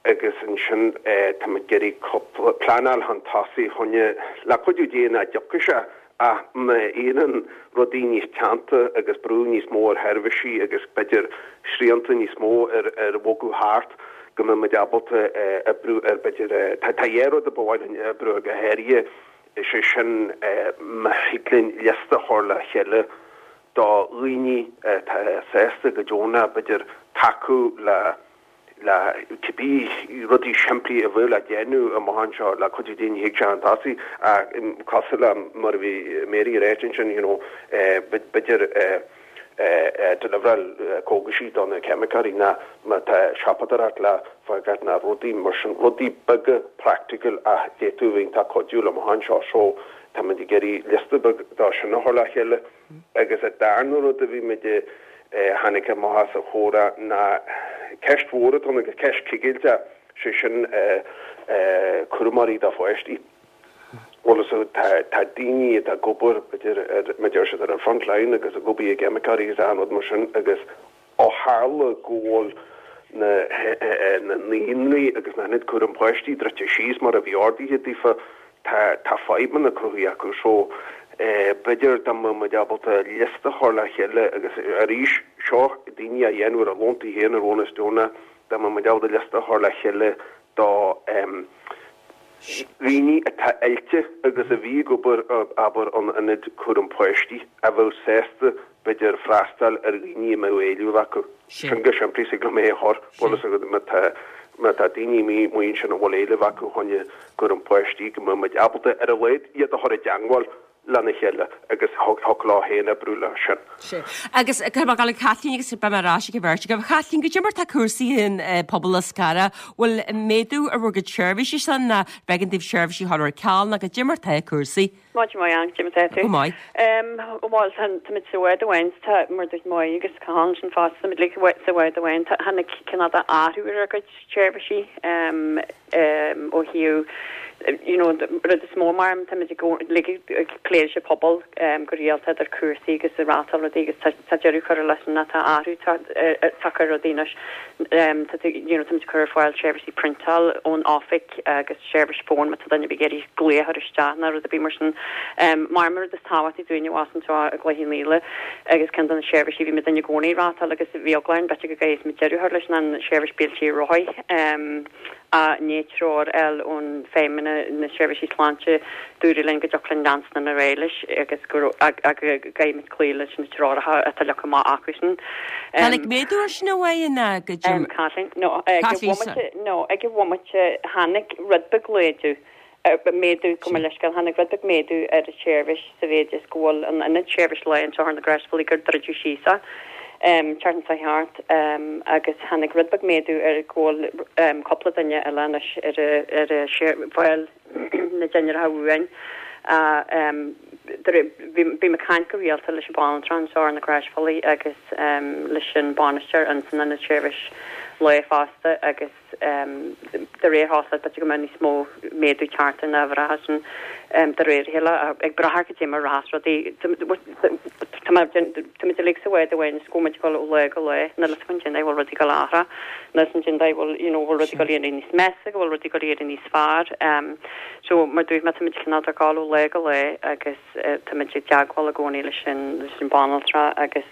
agus ansin tá muid ag iarraidh cúpla pleanáil chun tosaigh choinne, le cuidiú Dé nach dtiocfaidh sé ach má éiríonn rudaí níos teannta agus brú níos mó ar sheirbhísí agus b'fhéidir srianta níos mó ar ar bhogadh thart go mbeidh muid ábalta oibriú ar b'fhéidir tá tá dhá rud a ba mhaith linn oibriú ar go háirithe is é sin má thig linn liosta a chur le chéile do dhaoine atá sásta go deonach b'fhéidir tacú le le cibé rudaí simplí a bheadh le déanamh amach anseo le cuidiú Dé ní thig sé chun tosaigh ach cosúil le mar a bhí Mary ag ráit ansin you know b'fhéidir deliveráil cógaisí do na ceimiceoirí ná má tá siopadóireacht le fágáil ná rudaí mar sin, rudaí beaga practical ach d'fhéadfadh a bheith iontach cuidiúil amach anseo so táimid ag iarraidh liosta beag dó sin a chur le chéile. Agus an darna rud a bhí muid a tháinig amach as an chomhrá ná ceist mhór atá ann agus ceist cigilteach, sé sin cúramóirí do pháistí. Bhuel so tá tá daoine atá ag obair b'fhéidir ar mar a deir siad ar an front line agus ag obair i gceimiceoirí agus achan rud mar sin agus Ó tharla go bhfuil na naíonraí agus na hionaid cúram páistí druidte síos mar a bhí ordaithe daofa, tá tá fadhbanna cruthaithe acu. So, b'fhéidir dá mbeadh muid ábalta liosta a chur le chéile agus arís, seo daoine á dhéanamh ar a liúntas féin ar bhunús deonach, dá mbeadh muid ábalta liosta a chur le chéile do. Daoine atá oilte agus a bhí ag obair, abair, in ionad cúram páistí, a bheadh sásta, b'fhéidir, freastal ar dhaoine a mbeadh éileamh acu. Sin go simplí, thig liom é a chur, bhfuil fhios agat, má tá, má tá daoine amuigh ansin a bhfuil éileamh acu fá choinne cúram páistí, go mbeadh muid ábalta, ar a laghad, iad a chur i dteangmháil lena chéile agus thiocfadh leo féin oibriú leo sin. Sea. Agus caithfidh mé dul ag Caitlín agus beidh mé ar ais ag an bheirt agaibh. A Chaitlín, goidé mar tá cúrsaí in Pobal Lios Cara, bhfuil méadú ar bhur gcuid seirbhísí san nó b'éigean daoibh seirbhísí a chur ar ceal nó goidé mar tá cúrsaí? Maidin mhaith, Ann, goidé mar tá tú? Go maith. Bhuel, táimid sa bhád amháin, tá, mar a dúirt Máire agus Cathal ansin fosta, táimid uilig sa bhád amháin. Tháinig cineál de athrú ar ár gcuid seirbhísí. ó thaobh you know rud is mó mar táimid ag ag plé leis an pobal go rialta idir cúrsaí agus ag reáchtáil rudaí agus tá tá deireadh curtha leis sin tá athrú tagtha ar rudaí anois tá you know táimid ag cur ar fáil seirbhísí priontáil ón oifig agus seirbhís fóin má tá duine ar bith ag iarraidh glaoch a chur isteach nó rud ar bith mar sin. Mar an rud is tábhachtaí dúinne abhus anseo i gCloich Cheann Fhaola agus ceann de na seirbhísí a bhí muid i gcónaí ag reáchtáil agus bhí eagla orainn b'fhéidir go gcaillfeadh muid deireadh a chur leis ná an seirbhís béiltí ar rothaí. I ndiaidh treoir a fháil ón Feidhmeannas na Seirbhísí Sláinte, dúradh linn go dtiocfadh linn leanstan ar aghaidh leis agus go gcaithfidh muid cloí leis na treoracha atá leagtha amach acusan. Tháinig méadú air sin a Mháire nó go dtí. Caitlín, No, ag an bhomaite, no, ag an bhomaite tháinig rud beag laghdú. méadú, gabh mo leithscéal, tháinig rud beag méadú ar an tseirbhís sa mhéid is go bhfuil an ionad seirbhís lae anseo ar na Grásphealaí gur druideadh síos é tseachtain seo thart agus tháinig rud beag méadú ar go bhfuil cúpla duine eile anois ar ar fáil na dinnéaracha uainn. Bím ag caint go rialta leis an banaltra anseo ar na Grásphealaí agus leis an bainisteoir ins an ionad seirbhís lae fosta agus de réir chosúlachta, b'fhéidir go mbeadh níos mó méadú teacht ar na huimhreacha sin de réir a chéile, ag brath ar cad é mar a rachas rudaí. Táimid uilig sa bhád amháin is go bhfuil muid ag dul ó lá go lá, níl a fhios againn cén dóigh a bhfuil rudaí ag dul a athrú, níl a fhios againn cén dóigh a bhfuil, you know, bhfuil rudaí ag dul a éirí níos measa, go bhfuil rudaí ag dul a éirí níos fearr. So, mar dúirt mé, táimid cineál ag dul ó lá go lá agus. Táimid i dteagmháil i gcónaí leis an banaltra agus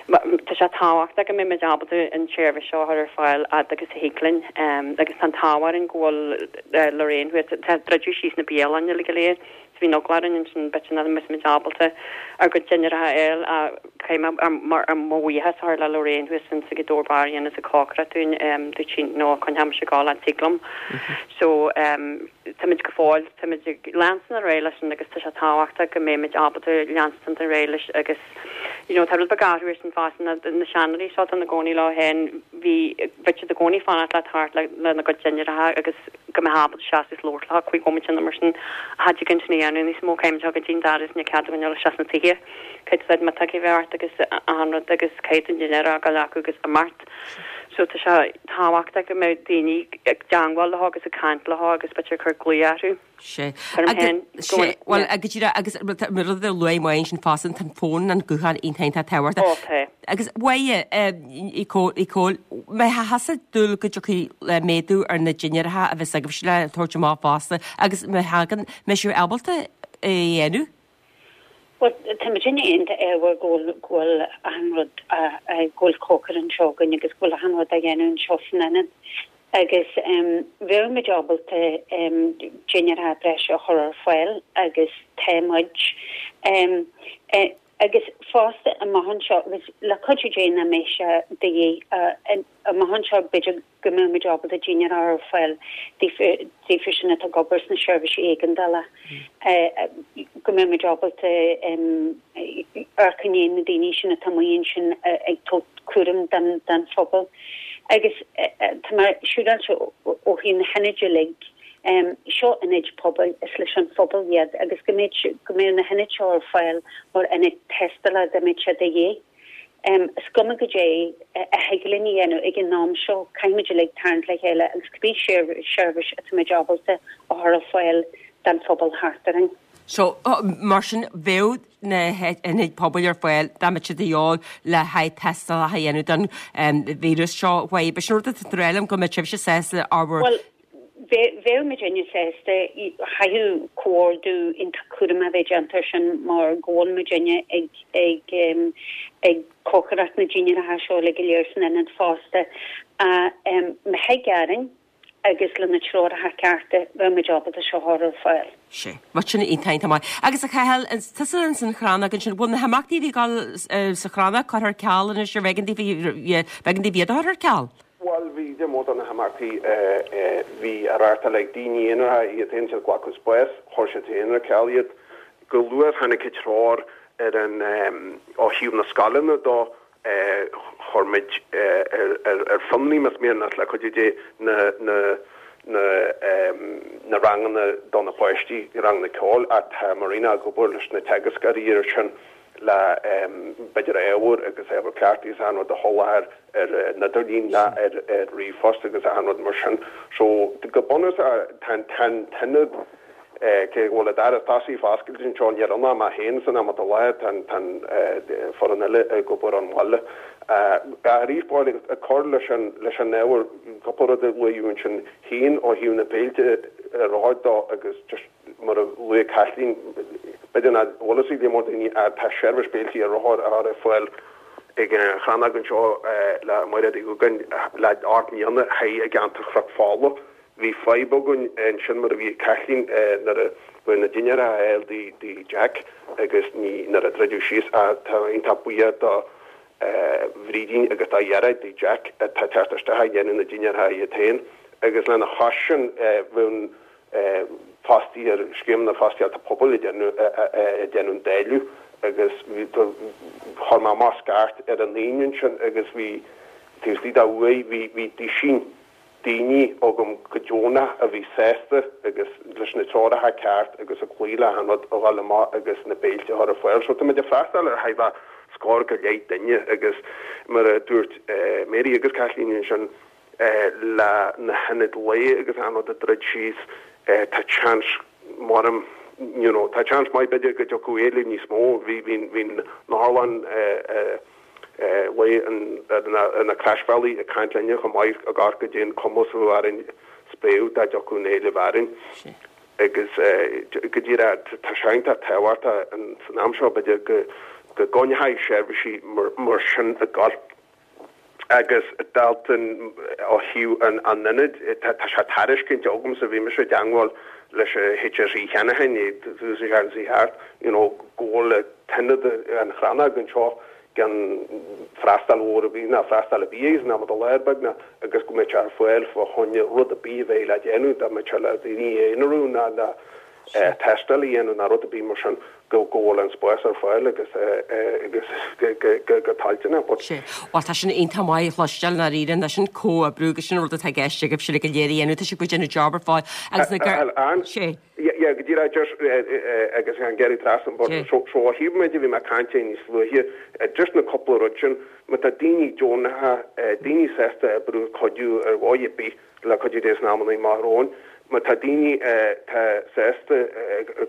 tá sé tábhachtach go mbeidh muid ábalta an tseirbhís seo a chur ar fáil fhad agus a thig linn. Agus tá an t-ádh orainn go bhfuil Lorraine thuas, tá druideadh síos na bialanna uilig go léir, so bhí an eagla orainn ansin b'fhéidir nach mbeadh muid ábalta ár gcuid dinnéaracha a fháil ach caithfidh mé mar mo bhuíochas a chur le Lorraine thuas in sa Ghaoth Dobhair Bar a dhéanas an cócaireacht dúinn, dúirt sí no coinneoidh mise ag gabháil an tig liom. So. Táimid go fóill, táimid ag leanstan ar aghaidh leis sin agus tá sé tábhachtach go mbeimid ábalta leanstan ar aghaidh leis agus you know tá rud beag athrú ar sin fosta na na seanóirí seo atá ina gcónaí leo féin bhí bheadh siad i gcónaí fanacht le thart le lena gcuid dinnéaracha agus go mbeadh ábalta seasamh is labhairt leo cúig bhomaite nó mar sin cha dtig linn sin a dhéanamh níos mó caithfimid a ghabháil go dtí an doras níl cead againn dul isteach sna tithe caithfidh tú miotóg a bheith ort agus achan rud agus caithfidh an dinnéar a fhágáil acu agus imeacht. So tá sé tábhachtach go mbeadh daoine ag teangmháil leo agus ag caint leo agus b'fhéidir ag cur glaoch orthu. Sea. Agus, sea, bhuel, go díreach, agus rud a luaigh Máire ansin fosta, tá an fón, an guthán iontach iontach tábhachtach. Ó, tá. Agus Mháire, Uí Chomhaill, mbeifeá ag dúil go dtiocfaidh méadú ar na dinnéaracha a bheas agaibhse le tabhairt amach fosta agus má thagann, mbeidh sibh ábalta é a dhéanamh? Bhuel, tá muid iontach ádhmhar go bhfuil, go bhfuil achan rud, go bhfuil cócaire anseo againn agus go bhfuil achan rud á dhéanamh anseo san ionad. Agus bheadh muid ábalta dinnéaracha breise a chur ar fáil agus tá muid. Agus fosta amach anseo, agus le cuidiú Dé nach mbeidh sé de dhíth, amach anseo b'fhéidir go mbeadh muid ábalta dinnéar a chur ar fáil daofa sin atá ag obair sna seirbhísí éigeandála, go mbeadh muid ábalta amharc i ndiaidh na daoine sin atá amuigh ansin ag tabhairt cúram don phobal. Agus tá mé siúráilte ó thaobh na hionaid uilig, seo ionaid pobail, is leis an phobal iad agus go mbeadh go mbeadh na hionaid seo ar fáil mar ionaid tástála dá mbeadh sé de dhíth. Is cuma goidé a thig linn a dhéanamh ag an am seo, caithfimid uilig tarraingt le chéile agus cibé seirbhís atá muid ábalta a chur ar fáil don phobal thart orainn. So, mar sin, bheadh na hionaid pobail ar fáil dá mbeadh siad de dhíobháil le haghaidh tástálacha a dhéanamh don víreas seo. B'in sin rud atá tú ag rá liom go mbeadh sibhse sásta ábhar Bhuel, Bheadh muidinne sásta, chaithfeadh comhordú iontach cúramach a bheith déanta ar sin mar go bhfuil muidinne ag ag ag cócaireacht na dinnéaracha seo uilig go léir san ionad fosta. Má thig orainn. Agus le na treoracha cearta, bheadh muid ábalta seo a chur ar fáil. Sea. Bhuel sin iontach, iontach maith. Agus a Chathail, tusa ins an Chrannóg ansin, bhfuil na himeachtaí a bhí ag dul sa Chrannóg curtha ar ceal anois ar b'éigean daoibh, b'éigean daoibh iad a chur ar ceal? Bhuel, bhí cuid mhór de na himeachtaí a bhí á reáchtáil ag daoine aonaracha iad féin, siad ag glacadh spás, chuir siad féin ar ceal iad. Go luath tháinig an treoir ar an, ó thaobh na scoileanna dó, chuir muid ar fionraí, más mian leat, le cuidiú Dé, na, na, na, na ranganna do na páistí, ranganna ceoil, ach tá Marina ag obair leis na teagascóirí air sin le, b'fhéidir ábhar agus ábhar cleachtaidh is achan rud a sholáthar ar an idirlíon ná ar, ar ríomhphost agus achan rud mar sin. So, go bunúsach, tá an, tá an t-ionad, Cé go bhfuil an doras tosaigh foscailte anseo, níl ann ach mé féin san am atá i láthair, tá an foireann eile ag obair ón bhaile. Arís, bhuel, ag cur leis an leis an ábhar, cúpla rud a luadh ansin féin ó thaobh na féilte ar aghaidh dó agus just mar a luaigh Caitlín, b'fhéidir nach bhfuil fhios ag go leor daoine ach tá seirbhís béiltí ar rothar á chur ar fáil ag an Chrannóg anseo le Mairéad Uí Dhúgáin le 8 mbliana thiar i gceantar Chnoc Fola. Bhí fadhb againn ansin mar a bhí ag Caitlín nuair a bhí na dinnéir á fháil do Jack agus ní nuair a druideadh síos ach tá iontach buíoch do Bhrídín agus do Ghearóid do Jack atá ag teacht isteach ag déanamh na dinnéartha iad féin agus lena chois sin bheadh fostaí ar scéim na fostaíochta pobail ag déanamh ag déanamh an dáileadh agus bhí chuir mé amach scairt ar an Aoine ansin agus bhí taobh istigh de uair bhí bhí duisín daoine agam go deonach a bhí sásta agus leis na treoracha ceart agus ag cloí le achan rud a dhul amach agus na béilte a chur ar fáil. So tá muid ag freastal ar thart fá scór go leith duine agus mar a dúirt Mary agus Caitlín ansin le na hionaid lae agus achan rud ag druid síos tá seans maram you know tá seans maith b'fhéidir go dtiocfadh éileamh níos mó. Bhí bhí bhí an otharlann lae ar na Croisbhealaí ag caint linne chomh maith ag amharc goidé an cumas a bheadh orainn spréadh dá dtiocfadh an éileamh orainn agus go díreach tá sé iontach tábhachtach san am seo b'fhéidir go gcoinneofaí seirbhísí mar sin ag gabháil agus Dalton ó thaobh an ionaid tá sé tairiscinte agamsa bhí mise i dteangmháil leis an HSE cheana féin tús an seachtain seo thart you know go bhfuil an t-ionad an Chrannóg anseo gan freastal mhór ar bith ná freastal ar bith aige san am atá i láthair beagnach agus go mbeadh sé ar fáil fá choinne rud ar bith a bheidh le déanamh, dá mbeadh sé le daoine a aonarú ná le tástáil a dhéanamh ná rud ar bith mar sin, go bhfuil an spás ar fáil agus agus go toilteanach. But. Sea. Bhuel tá sin iontach maith a chloisteáil i ndáiríre, nó sin comhoibriú agus sin an rud atá i gceist agaibhse le go léir a dhéanamh, tá sibh ag déanamh job ar fad agus na gar. Sea. Yeah, go díreach just agus an gearradh trasna but so so ó thaobh muid a bhí mé ag caint air níos luaithe just na cúpla rud sin má tá daoine deonacha daoine sásta oibriú cuidiú ar dhóigh ar bith le cuidiú Dé sna amannaí amach romhainn má tá daoine tá sásta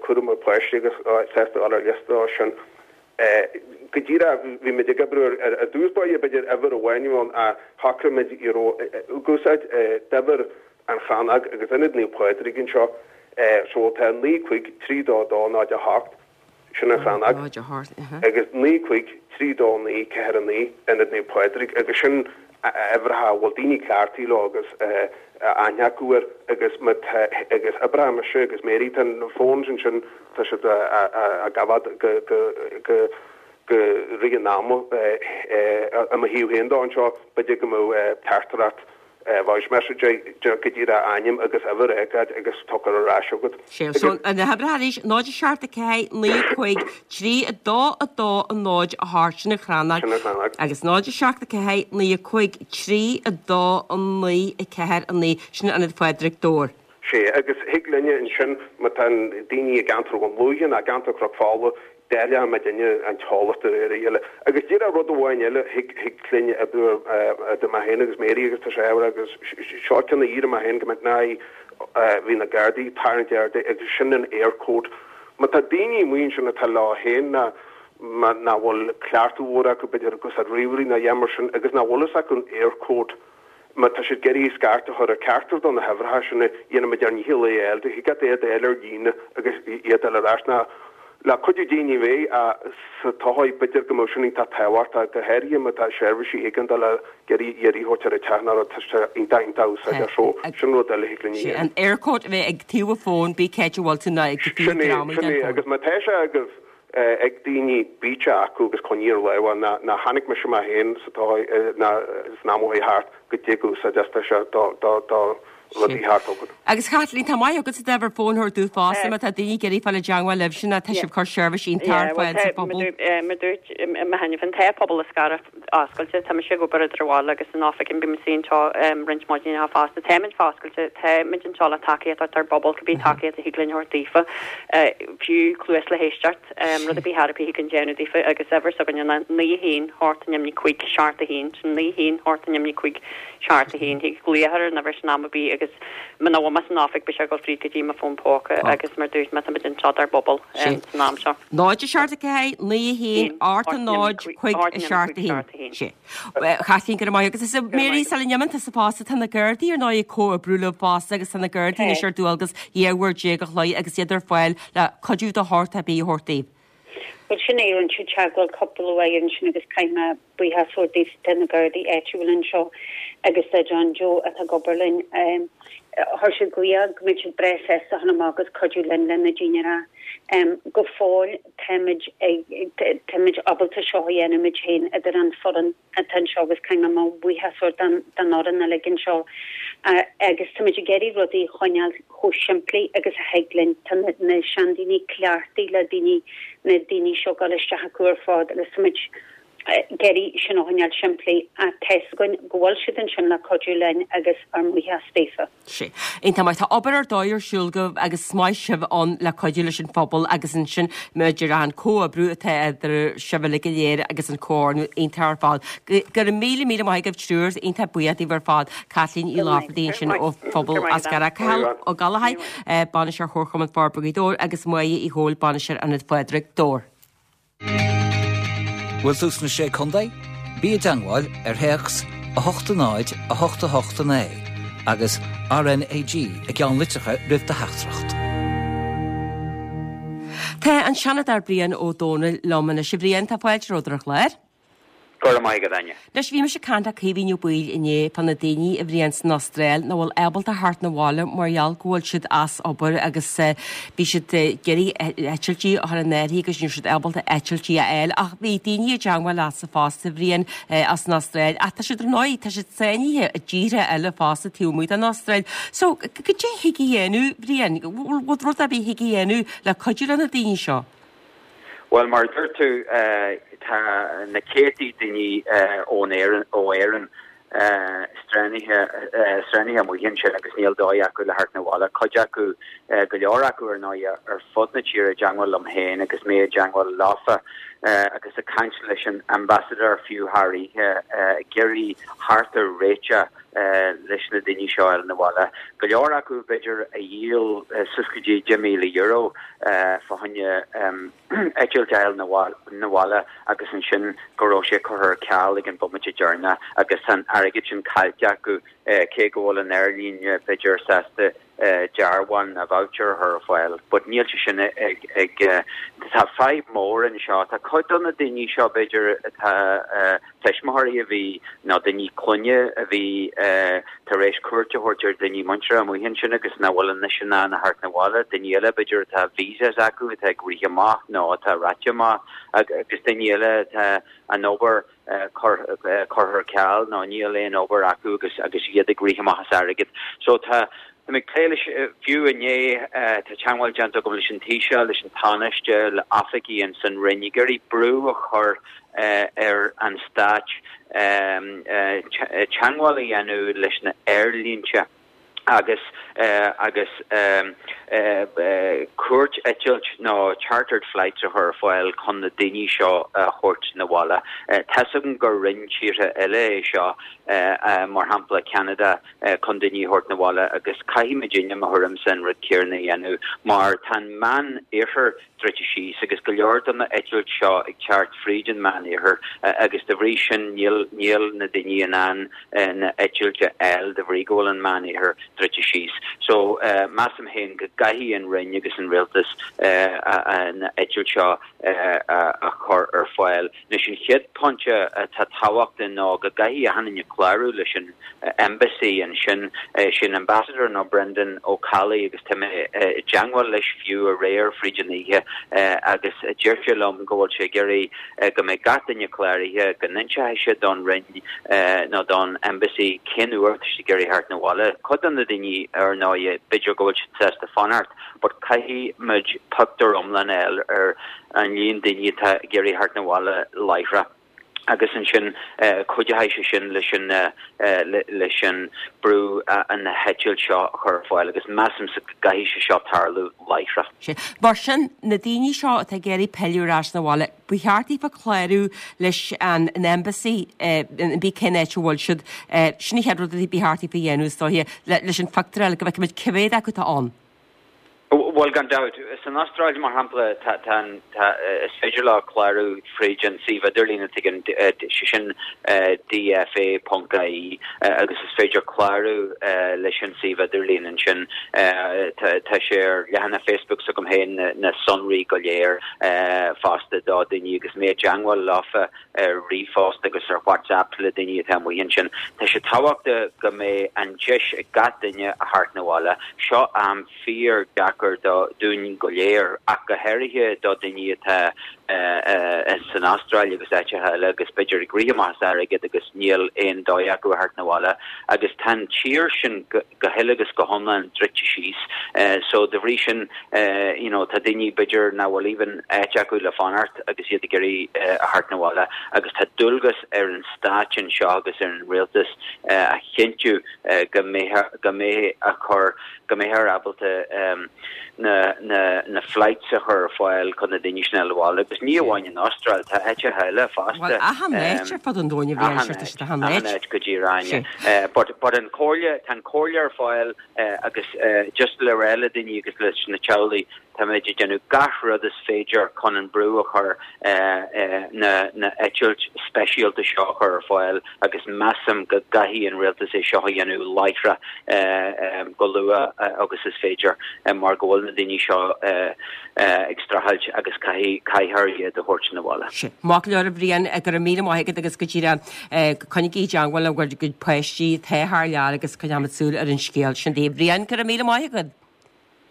cúram ar páistí agus sásta dul ar liosta sin go díreach bhí muid ag oibriú ar ar dtús báire b'fhéidir uimhir amháin a bhí ann ach shocraigh muid you know ag úsáid d'uimhir an Chrannóg agus Ionad Naomh Pádraig anseo so tá 9 5 3 2 2 0 8, sin an Chrannóg, agus 9 5 3 2 9 4 9, Ionad Naomh Pádraig agus sin uimhreacha a bhfuil daoine cleachtaithe leo agus aithne acu air agus má tá agus oibreoidh mise agus Mary tá na phones ansin tá siad á gabháil go go go go rith an ama i mo thaobh féin dó anseo b'fhéidir go mbeadh teachtaireacht voice message go díreach ainm agus uimhir a fhágáil agus tugtar ar ais chugat. Sea, so na huimhreacha arís, 0 7 4 9 5 3 2 2 0 8, sin an Chrannóg, Sin an Chrannóg. agus 0 7 4 9 5 3 2 9 4 9, sin Ionad Phádraig Dobhair. Sea, agus thig linne ansin, má tá daoine i gceantar Dhún Lúiche nó i gceantar Chnoc Fola, Dáileann muidinne an t-eolas de réir a chéile. Agus díreach rud amháin eile, thig, thig linne oibriú idir mé féin agus Mary agus tá sé ábhar agus seo ceann a iarr mé féin go mbeadh ná bhí na Gardaí ag tarraingt aird agus sin an Eircode. Má tá daoine amuigh ansin atá leo féin ná má nach bhfuil cleachtadh mhór acu b'fhéidir ag úsáid ríomhairí ná a dhath mar sin agus nach bhfuil fhios acu an Eircode, Má tá siad ag iarraidh scairt a chur ar ceachtar de na huimhreacha sin, dhéanfaimid ár ndícheall é a fháil. Thig leat iad a fháil ar líne agus iad a fháil ar ais ná. Le cuidiú Dé ní bheidh ach sa todhchaí b'fhéidir go mbeadh sin iontach tábhachtach, go háirithe má tá seirbhísí éigeandála ag iarraidh iarraidh a thabhairt ar an teach nó rud, tá sé iontach iontach úsáideach so sin rud eile a thig linn a Sé dhéanamh. an Eircode a bheith ag taobh an fóin, bí céit a bhfuil tú ná ag Sin é, greamaigh sin den é fón. agus má tá sé agaibh ag daoine bíodh sé acu agus coinnigh ar lámh é ná ná chonaic mise mé féin sa todhchaí ná san am ó chuaigh thart go dtig úsáid as tá sé do do do rudaí thart agat. Agus Chaitlín, tá maith agat as uimhir fóin a thabhairt dúinn fosta má tá daoine ag iarraidh fáil i dteangmháil libhse ná tá sibh ag cur seirbhís iontach ar fáil sa phobal. Mar dúirt mé cheana féin, tá pobal Eascarrach oscailte, tá mise ag obair idir an bhaile agus an oifig and bím istigh anseo roinnt maidineacha fosta. Táimid foscailte, táimid anseo le tacaíocht a thabhairt dár bpobal, cibé tacaíocht a thig linn a thabhairt daofa, fiú cluas le héisteacht, rud ar bith ar bith a thig linn déanamh daofa agus uimhir s'againne ná 9 1 8 0 5 7 1, sin 9 1 8 0 5 7 1. Thig glaoch ar an uimhir sin am ar bith agus muna bhfuil mé san oifig beidh sé ag dul fríd go dtí mo fón póca agus mar dúirt mé táimid anseo dár bpobal san am seo. 0 7 4 9 1 8 0 5 7 1. Sé. Chaitlín, go raibh maith agat. Is Mary, sula n-imíonn tusa fosta, tá na Gardaí ar ndóigh ag comhoibriú libh fosta agus tá na Gardaí anois ar dualgas 12 uair a chloig agus iad ar fáil le cuidiú de shórt ar bith a thabhairt daoibh. Bhuel sin é, rinne siad teagmháil cúpla uair ansin agus caithfidh mé buíochas a thabhairt daofa, tá na Gardaí áitiúil anseo agus do John Joe atá ag obair linn. Chuir siad glaoch go mbeadh siad breá sásta a dhul amach agus cuidiú linn le na daoine a rá. Go fóill táimid ag, táimid ábalta seo a dhéanamh muid féin idir an foireann atá anseo agus caithfidh mé mo bhuíochas a thabhairt don don fhoireann uilig anseo agus táimid ag iarraidh rudaí a choinneáil chomh simplí agus a thig linn. Tá na na seandaoine cleachtaithe le daoine, na daoine seo ag dul isteach acu ar fad agus táimid ag iarraidh sin a choinneáil simplí ach tá's againn go bhfuil siad ansin le cuidiú linn agus ár mbuíochas daofa. Sea. Iontach maith. Tá obair ar dóigh ar siúl agaibh agus is maith sibh ann le cuidiú leis an phobal agus ansin maidir leis an comhoibriú atá idir sibh uilig go léir agus an comhordú iontach ar fad. Go raibh míle míle maith agaibh triúr, iontach buíoch daoibh ar fad. Caitlín Uí Laifeartaigh ansin ó phobal Eascarrach, Cathal Ó Gallchóir, Bainisteoir Chomharchumann Forbartha Ghaoth Dobhair agus Máire Uí Chomhaill, Bainisteoir Ionad Phádraig, Dobhar. Bhfuil tú sna Sé Contae? Bí i dteangmháil ar théacs 8 0 8 8 9 agus RnaG i gceannlitreacha roimh do theachtaireacht. Tá an Seanadóir Brian Ó Dónaill liom anois. A Bhriain, tá fáilte romhat ar an chlár. Go raibh maith agat, Áine. Anois, bhí mise ag caint le Caoimhín Ó Baoill inné fá na daoine, a Bhriain, san Astráil nach bhfuil ábalta theacht 'na bhaile mar gheall go bhfuil siad as obair agus bhí siad ag iarraidh eitiltí a chur in áirithe agus ní raibh siad ábalta eitiltí a fháil. Ach bhí daoine i dteangmháil leatsa fosta, a Bhriain, as an Astráil ach tá siad ar ndóigh, tá siad sáinnithe i dtíortha eile fosta taobh amuigh den Astráil. So, cad é thig a dhéanamh, Bhriain? Bhfuil rud ar bith thig a dhéanamh le cuidiú le na daoine seo? Bhuel, mar a dúirt tú, tá na céadtaí daoine ón Éirinn, ó Éirinn strandithe, strandithe amuigh ansin agus níl dóigh acu le theacht 'na bhaile. Cuid acu, go leor acu ar ndóigh, ar fud na tíre i dteangmháil liom féin agus mé i dteangmháil leofa agus ag caint leis an ambassador fiú thar oíche ag iarraidh theacht ar réiteach leis na daoine seo a fháil 'na bhaile. Go leor acu b'fhéidir a dhíol suas go dtí €10,000 fá choinne eitilt a fháil 'na bhaile agus ansin go raibh sé curtha ar ceal ag an bomaite deireanach agus tá an airgead sin caillte acu cé go bhfuil an aerlíne b'fhéidir sásta dearbhán nó voucher a chur ar fáil. But níl sé sin ag ag tá fadhb mór anseo. Tá cuid de na daoine seo b'fhéidir atá tuismitheoirí a bhí nó daoine clainne a bhí tar éis cuairt a thabhairt ar daoine muinteartha amuigh ansin agus nach bhfuil anois in ann a theacht 'na bhaile, daoine eile b'fhéidir atá visas acu atá ag rith amach nó atá reaite amach agus daoine eile atá an obair curtha ar ceal nó níl aon obair acu agus agus iad ag rith amach as airgead. So tá Tá mé ag plé leis, fiú inné tá teagmháil déanta agam leis an Taoiseach, leis an Tánaiste, le oifigigh ins an Roinn ag iarraidh brú a chur ar an Stát teagmháil a dhéanamh leis na aerlínte agus agus cuairt eitilt nó chartered flights a chur ar fáil chun na daoine seo a thabhairt 'na bhaile. Tá's agam gur rinne tíortha eile é seo, mar shampla Ceanada, chun daoine a thabhairt 'na bhaile agus caithfidh muidinne, mo thuairimse, an rud céanna a dhéanamh mar tá an Meán Oirthear. druidte síos agus go leor de na eitilt seo ag teacht fríd an Meánoirthear agus de bhrí sin níl níl na daoine in ann na eitilt a fháil de bhrí go bhfuil an Meánoirthear druidte síos. So measaim féin go gcaithfidh an Roinn agus an Rialtas na eitilt seo a chur ar fáil. Anois an chéad pointe atá tábhachtach ná go gcaithfidh achan duine clárú leis an Embassy ansin, sé an Ambassador ná Brendan Ó Ceallaigh agus tá mé i dteangmháil leis fiú aréir fríd an oíche agus deir sé liom go bhfuil sé ag iarraidh go mbeidh gach duine cláraithe, go n-inseoidh sé don Roinn nó don Embassy cén uair atá siad ag iarraidh theacht 'na bhaile. Cuid de na daoine ar ndóigh b'fhéidir go bhfuil siad sásta fanacht but caithfidh muid pictiúr iomlán a fháil ar an líon daoine atá ag iarraidh theacht 'na bhaile láithreach agus ansin cuideoidh sé sin leis an leis an brú na heitilt seo a chur ar fáil agus measaimse go gcaithfidh sé seo tarlú láithreach. Sea. Mar sin, na daoine seo atá ag iarraidh pilleadh ar ais 'na bhaile, ba cheart daofa clárú leis an Embassy, cibé cén áit a bhfuil siad. Sin an chéad rud a ba cheart daofa a dhéanamh is dóiche, leis an phictiúr a fháil go bhfeicfimid cé mhéad acu atá ann. Bhuel, gan dabht. San Astráil, mar shampla, tá, tá an, tá, is féidir leo clárú fríd an suíomh idirlín atá ag an, sé sin DFA ponc IE agus is féidir clárú leis an suíomh idirlín ansin. Tá, tá sé ar leathanach Facebook s'agam féin na sonraí go léir fosta do daoine agus mé i dteangmháil leofa ar ríomhphost agus ar WhatsApp le daoine atá amuigh ansin. Tá sé tábhachtach go mbeidh an deis ag gach duine a theacht 'na bhaile. Seo am fíor deacair do dúinn go léir ach go háirithe do daoine atá san Astráil agus áiteacha eile agus b'fhéidir ag rith amach as airgead agus níl aon dóigh acu a theacht 'na bhaile agus tá an tír sin go go huile agus go hiomlán druidte síos. So de bhrí sin you know tá daoine b'fhéidir nach bhfuil even áit acu le fanacht agus iad ag iarraidh a theacht 'na bhaile agus tá dualgas ar an stáit anseo agus ar an rialtas a chinntiú go mbeidh go mbeidh a chur go mbeifear ábalta na na na flights a chur ar fáil chun na daoine sin a fháil abhaile agus ní amháin an Astráil tá áiteacha eile fosta. Bhuel achan áit ar fud an domhain a bhí an siad achan áit. Achan áit go díreach. But but an comhairle tá an comhairle ar fáil agus just le rá le daoine agus leis na teaghlaigh táimid ag déanamh gach rud is féidir chun an brú a chur na na eitilt speisialta seo a chur ar fáil agus measaim go gcaithfidh an rialtas é seo a dhéanamh láithreach go luath agus is féidir mar go bhfuil na daoine seo ag streachailt agus caithfidh caithfear iad a thabhairt 'na bhaile. Sin. Maith go leor a Bhriain, go raibh míle maith agat agus go díreach coinnigí i dteangmháil le bhur gcuid páistí atá thar lear agus coinneoimid súil ar an scéal sin daoibh. Bhriain, go raibh míle maith agat.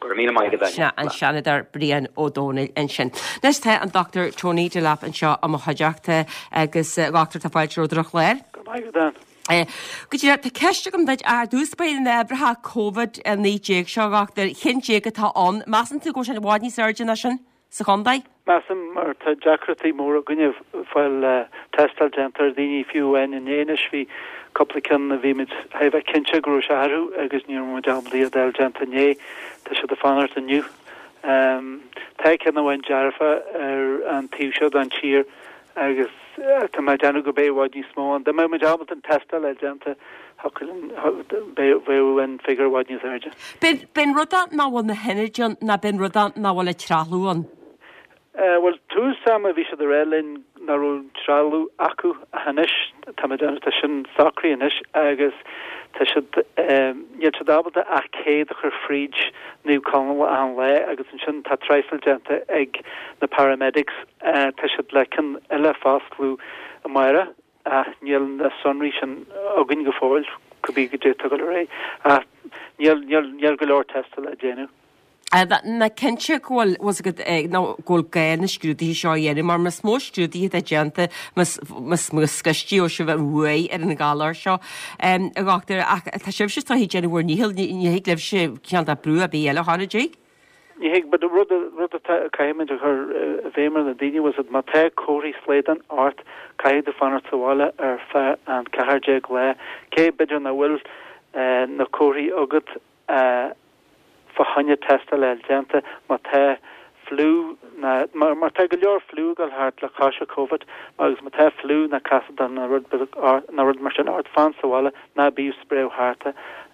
Go raibh míle maith agat, Áine. Sin an Seanadóir Brian Ó Domhnaill ansin. Anois tá an Dr Tony Delap anseo i mo chuideachta agus a Dhochtúir tá fáilte romhat ar an chlár. Go raibh maith agat, Áine. Go díreach, tá ceist agam duit ar dtús báire na huimhreacha Covid-19 seo, a Dhochtúir, 11 atá ann. Measann tú go bhfuil sé i bhfad níos airde ná sin sa chontae? Measaim, mar tá deacrachtaí móra againne fáil tástáil déanta ar dhaoine, fiú amháin inné anois bhí cúpla ceann a bhí muid thar a bheith cinnte go raibh sé orthu agus ní raibh muid ábalta iad a fháil déanta inné, tá siad ag fanacht inniu. Tá ceann amháin dearfa ar an taobh seo den tír agus tá mé ag déanamh go mbeidh i bhfad níos mó ann. Dá mbeadh muid ábalta an tástáil a fháil déanta, bheadh an figiúr i bhfad níos airde. B'in rud é nach bhfuil na hionaid ann ná b'in rud é nach bhfuil an trealamh ann? Bhuel, tús ama bhí siad ag rá linn nach raibh an trealamh acu ach anois tá mé ag déanamh, tá sin socraithe anois agus tá siad, níl siad ábalta ach 100 a chur fríd Naomh Conaill achan lá agus ansin tá traidhfil déanta ag na paramedics, tá siad le ceann eile a foscladh amárach ach níl na sonraí sin againn go fóill, cibé goidé atá ag dul ar aghaidh. Ach níl, níl, níl go leor tástála á déanamh. Ná cinnte go bhfuil, bhfuil 's agat, nó go bhfuil gá na scrúduithe seo a dhéanamh, mar más mó scrúduithe atá déanta, más, más mó scaoistí sibh an bhuaidh ar an ghalar seo, a dhochtúir, ach tá sibhse is dóichí ag déanamh bhur ndícheall, ní, ní thig libhse cineál de brú ar bith eile a chur, an dtig? Ní thig, but rud, rud atá, caithfimid a chur i bhfeidhm ar na daoine, bhfuil 's agat, má tá comharthaí slaghdán ort, caithfidh tú fanacht sa bhaile ar feadh an 14 lá, cé b'fhéidir nach bhfuil na comharthaí agat fá choinne tástáil a fháil déanta, má tá fliú ná, mar, mar tá go leor fliú ag dul thart le cois an Covid, agus má tá fliú ná casadán ná rud beag, ná rud mar sin ort, fan sa bhaile, ná bíodh ag spréadh thart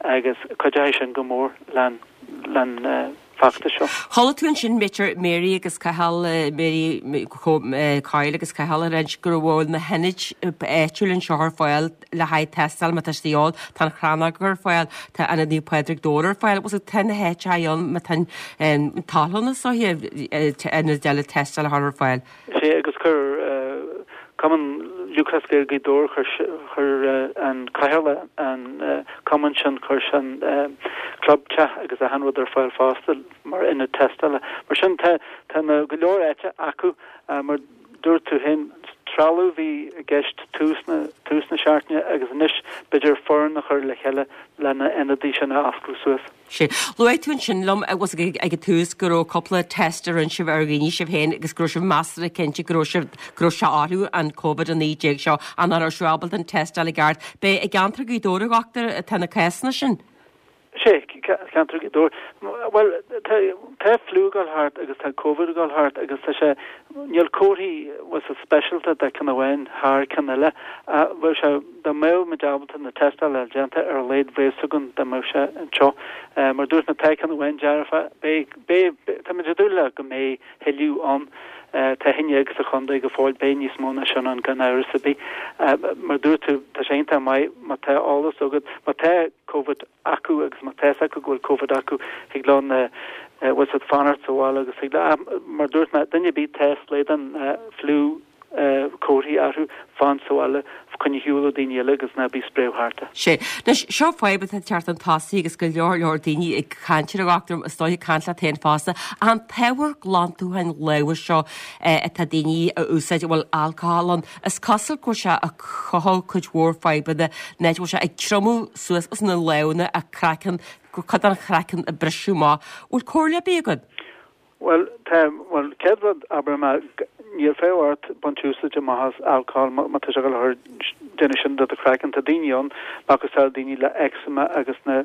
agus cuideoidh sin go mór len, len. feachtas seo. Chuala tú ansin b'fhéidir Mary agus Cathal, Mary Coyle agus Cathal ag ráit go bhfuil na hionaid áitiúil anseo ar fáil le haghaidh tástáil má tá sé de dhíobháil, tá an Chrannóg ar fáil, tá Ionad Naomh Pádraig Dobhair ar fáil, bhfuil tá na háiteacha ann má tá an toil ann is dóiche ionaid eile tástáil a chur ar fáil. Sea, agus chuir Cumann Lúthchleas Gael Ghaoth Dobhair, chuir an cathaoirleach an cumann sin, chuir sé an clubtheach agus achan rud ar fáil fosta mar ionad tástála. Mar sin tá tá na go leor áite acu mar dúirt tú féin, trealamh a bhí i gceist tús na tús na seachtaine agus anois b'fhéidir foireann a chur le chéile le na ionadaí sin a oscailt suas. Sea. Luaigh tú ansin liom agus ag an tús go raibh cúpla test a rinne sibh ar dhaoine sibh féin agus go raibh sibh measartha cinnte go raibh sibh, go raibh sé orthu an Covid-19 seo ach nach raibh sibh ábalta an tástáil i gceart. B'é i gceantar Ghaoth Dobhair a dhochtúir atá na cásanna sin? Sea, ceantar Ghaoth Dobhair. Bhuel, tá, tá fliú ag dul thart agus tá Covid ag dul thart agus tá sé, níl comharthaí bhfuil a fhios agat speisialta de ceann amháin thar ceann eile. Bheadh sé, dá mbeadh muid ábalta na tástála déanta ar a laghad bheadh fhios againn dá mbeadh sé anseo. Mar dúirt mé tá ceann amháin dearfa, beidh, beidh, tá muid ag dúil le go mbeidh thuilleadh ann. Tá 11 sa chontae go fóill, beidh níos mó ná sin ann gan amhras ar bith. Mar dúirt tú, tá sé iontach maith má tá eolas agat, má tá Covid acu agus má tá fhios acu go bhfuil Covid acu, thig leo na, bhfuil fhios agat, fanacht sa bhaile agus thig leo, mar dúirt mé, duine ar bith tá slaghdán fliú, comharthaí orthu, fan sa bhaile, coinnigh ar shiúl ó daoine eile agus ná bí ag spréadh thart. Sea. Anois, seo fadhb atá ag teacht chun tosaigh agus go leor leor daoine ag caint air a dhochtúir, is dóigh ag caint leat féin fosta, an t-ábhar glantúcháin lámha seo atá daoine a úsáid a bhfuil alcohol ann, is cosúil go bhfuil sé ag cothú cuid mhór fadhbanna, nó go bhfuil sé ag triomú suas os na lámhanna, a craiceann, cuid den chraiceann ag briseadh amach. Bhfuil comhairle ar bith agat? Bhuel, tá, bhuel, céad rud, abair mé, níl feidhm ort baint úsáid amach as alcohol má tá sé ag dul a chur, déanamh sin do do chraiceann. Tá daoine ann, macasamhail daoine le eczema agus na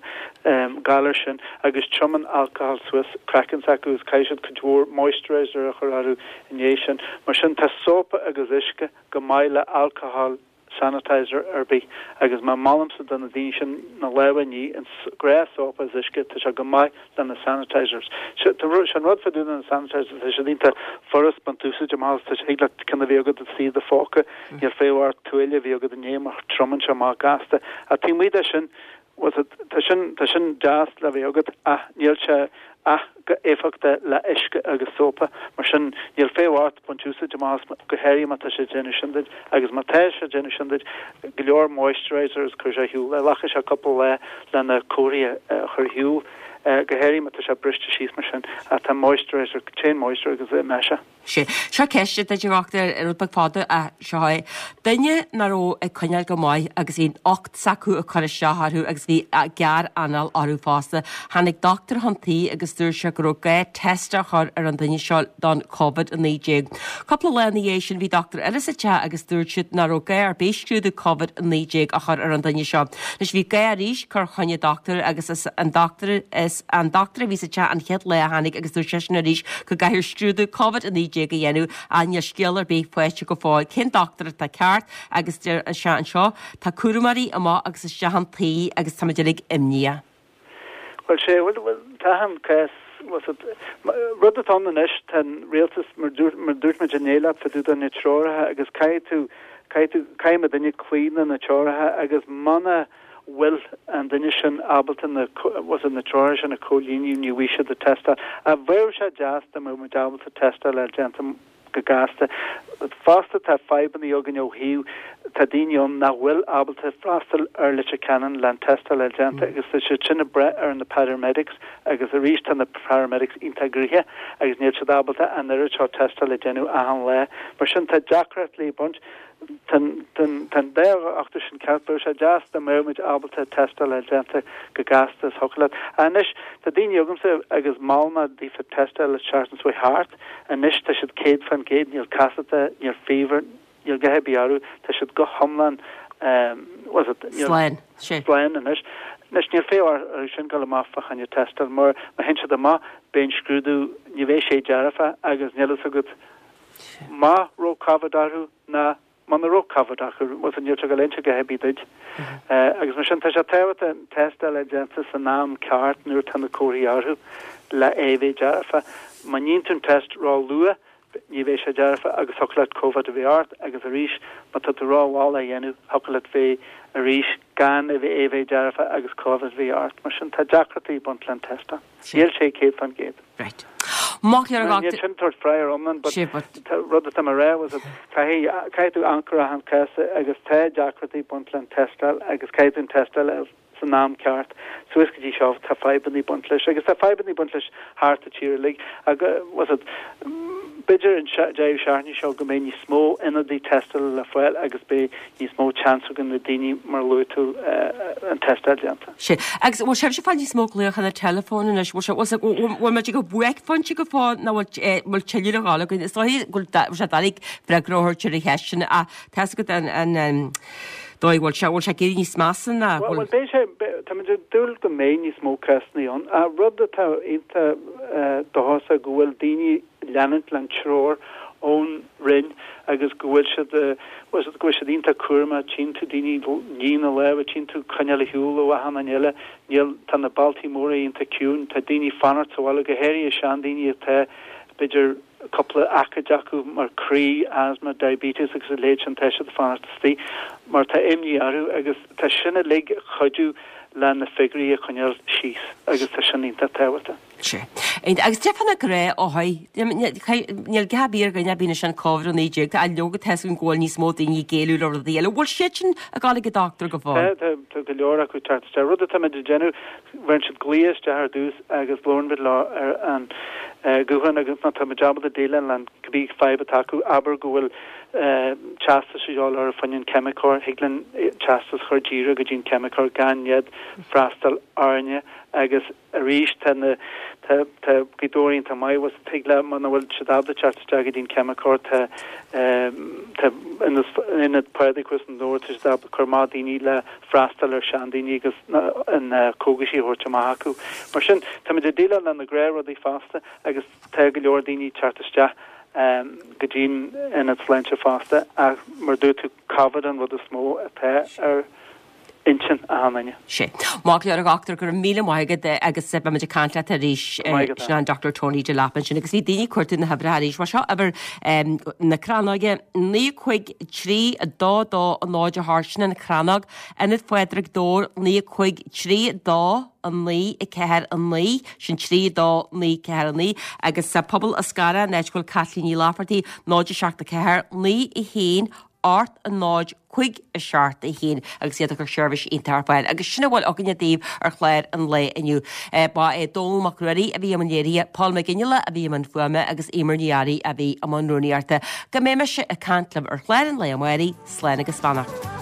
galair sin, agus triomann alcohol suas craiceann s'acu agus caithfidh siad cuid mhór moisturizer a chur orthu i ndiaidh sin. Mar sin, tá sópa agus uisce go maith le alcohol sanitizer ar bith agus má molaimse do na daoine sin na lámha a ní in gnáth-sópa is uisce, tá sé go maith le na sanitizers. Sé an rud fá dtaobh de na sanitizers, tá siad iontach furast baint úsáid amach as, tá sé, thig leat ceann a bheith agat istigh i do phóca, níl feidhm ort tuáille a bheith agat i ndiaidh mar triomann sé amach gasta. Ach taobh amuigh de sin, bhfuil a fhios agat, tá sin, tá sin deas le bheith agat ach níl sé ach go éifeachtach le uisce agus sópa. Mar sin, níl feidhm ort baint úsáid amach as, go háirithe má tá sé ag déanamh sin duit. Agus má tá sé ag déanamh sin duit, go leor moisturizer agus cuir sé ar shiúl é. Glacfaidh sé cúpla lá le na comharthaí a chur ar shiúl, go háirithe má tá sé briste síos mar sin. Ach tá moisturizer, téann moisturizer agus imeoidh sé. Sea. Seo ceist duit a dhochtúir, rud beag fada ach seo é. Duine nach raibh ag coinneáil go maith agus bhí an ucht s'acu ag cur isteach orthu agus bhí gearr-anáil orthu fosta. Tháinig dochtúir chun tí agus dúirt sé go raibh gá test a chur ar an duine seo don Covid-19. Cúpla lá ina dhiaidh sin bhí dochtúir eile sa teach agus dúirt siad nach raibh gá ar bith scrúdú Covid-19 a chur ar an duine seo. Anois bhí gá arís cur choinne dochtúir agus is an dochtúir is an dochtúir a bhí sa teach an chéad lá a tháinig agus dúirt seisean arís go gcaithfear scrúdú Covid-19 a dhéanamh ach níl scéal ar bith faighte go fóill cén dochtúir atá ceart agus deir sé anseo tá cúramóirí amach agus isteach an tí agus táimid uilig imníoch. Bhuel sé, bhuel, bhuel, tá an cás, bhfuil a fhios agat, rud atá ann anois, tá an rialtas, mar dúirt, mar dúirt muid inné leat fá dtaobh de na treoracha agus caithfidh tú, caithfidh tú, caithfidh muid uilig cloí le na treoracha agus muna bhfuil an duine sin ábalta na, bhfuil a fhios agat, na treoracha sin a chomhlíonadh, ní bhfaighidh siad an tástáil. Ach bheadh sé deas dá mbeadh muid ábalta tástáil a fháil déanta go gasta. Fosta tá fadhbanna againn ó thaobh, tá daoine ann nach bhfuil ábalta freastal ar Leitir Ceanainn le an tástáil a fháil déanta agus tá siad sin ag brath ar na paramedics agus arís tá na paramedics iontach gnoitheach agus níl siad ábalta an oiread seo tástáil a dhéanamh achan lá. Mar sin tá deacracht le baint. Tá an dá dhochtúir sin ceart. Bheadh sé deas dá mbeadh muid ábalta tástáil a fháil déanta go gasta is thiocfadh leat. Anois, tá daoine agamsa agus mhol mé daofa tástáil an tseachtain seo thart. Anois tá siad 100%, níl casachta, níl fever, níl a dhath ar bith orthu, tá siad go hiomlán, bhfuil a fhios agat, níl. Slán, sea. Slán anois. Anois níl feidhm orthu sin dul amach fá choinne tástáil mar má théann siad amach beidh an scrúdú, ní bheidh sé dearfa agus níl a fhios agat má raibh Covid orthu ná. Muna raibh Covid acu, bhuel níl sé ag dul a inse a dhath ar bith duit. Agus mar sin, tá sé tábhachtach an tástáil a déanta san am ceart nuair atá na comharthaí orthu le é bheith dearfa. Má níonn tú an test ró-luath, ní bheidh sé dearfa agus thiocfadh leat Covid a bheith ort agus arís má tá tú ró-mhall á dhéanamh, thiocfadh leat bheith arís gan é bheith dearfa agus Covid a bheith ort. Mar sin, tá deacrachtaí ag baint le an tástáil. Níl sé 100%. Right. Maith go leor. Níl sin ag tabhairt freagra iomlán but rud atá mé a rá was that caithfidh caithfidh tú amharc ar achan cás agus tá deacrachtaí ag baint le an tástáil agus caithfidh tú an tástáil a san am ceart. Suas go dtí seo tá fadhbanna ag baint leis agus tá fadhbanna ag baint leis thart an tír uilig agus was it b'fhéidir an deireadh seachtaine seo go mbeidh níos mó ionadaí tástála le fáil agus beidh níos mó chance ag na daoine mar a luaigh tú an tástáil déanta. Sea. Agus bhfuil sibhse ag fáil níos mó glaochanna teileafóin anois? Bhfuil sé, bhfuil, bhfuil muid ag buaicphointe go fóill nó bhfuil, bhfuil tuilleadh le dhul againn? Is dóigh go bhfuil sé doiligh freagra a thabhairt ar an cheist sin ach tá 'fhios agat an, an, an dóigh bhfuil sé, bhfuil sé ag éirí níos measa ná bhfuil? Bhuel, beidh sé, táimid ag dúil go mbeidh níos mó cásanna ann ach rud atá iontach dóchasach go bhfuil daoine leanúint len treoir ón Roinn agus go bhfuil siad, bhfuil siad, go bhfuil siad iontach cúramach, tchíonn tú daoine ag ní na lámha, tchíonn tú coinneáil ar shiúl ó achan duine eile, níl, tá na bailtí móra iontach ciúin, tá daoine fanacht sa bhaile, go háirithe seandaoine atá, b'fhéidir, cúpla aicíd acu mar croí, asthma, diabetes agus a leithéid sin, tá siad ag fanacht istigh mar tá imní orthu agus tá sin uilig ag cuidiú le na figiúirí a choinneáil síos agus tá sin iontach tábhachtach. Sea. Agus cad é fá na gnáthothar, níl gá ar bith ar dhuine a bhíonn ansin Covid-19, tá leoga tá 'fhios againn go bhfuil níos mó daoine ag éileamh le rudaí eile. Bhfuil siad sin ag dul ag an dochtúir go fóill? Tá, tá go leor acu ag teacht isteach. Rud atáimid ag déanamh, bheireann siad glaoch isteach ar dtús agus labhrann muid leo ar an guthán agus má tá muid ábalta déileáil le cibé fadhb atá acu, abair go bhfuil teastas a dhíobháil orthu fá choinne an ceimiceoir, thig linn teastas a chur díreach go dtí an ceimiceoir gan iad freastal orainne agus Arís, tá na, tá, tá Gaoth Dobhair iontach maith, bhfuil 's tig le, muna bhfuil siad ábalta teacht isteach go dtí an ceimiceoir, tá, tá ionad, Ionad Phádraig thuas i nDobhar, tá siad ábalta cur amach daoine le freastal ar seandaoine agus na, na cógaisí a thabhairt amach acu. Mar sin, táimid ag déileáil le na gnáthrudaí fosta agus tá go leor daoine ag teacht isteach go dtí'n ionad sláinte fosta ach mar dúirt tú, Covid an rud is mó atá ar intinn achan duine. Sea. Maith go leor a dhochtúir, go raibh míle maith agat agus beidh muid ag caint leat arís. Go raibh maith agat. Sin an Dr Tony Delap ansin agus bhí daoine ag cuartú na huimhreacha arís. Bhuel seo uimhir na Crannóige, 9 5 3 2 2 0 8, sin an Chrannóg, Ionad Phádraig Dobhair, 9 5 3 2 9 4 9, sin 3 2 9 4 9, agus Pobal an Scarra, an áit go bhfuil Caitlín Ní Laifeartaigh, 0 7 4 9 1 8 0 5 7 1 agus iad ag cur seirbhís iontach ar fáil. Agus sin a bhfuil againne daoibh ar chlár an lae inniu. Ba é Dónall Mac Ruairí a bhí i mbun léirithe, Paul McGinley a bhí i mbun fuaime agus Eimear Ní Fhearraigh a bhí i mbun rúnaíochta. Go mbeidh mise ag caint libh ar chlár an lae amárach, slán agus beannacht.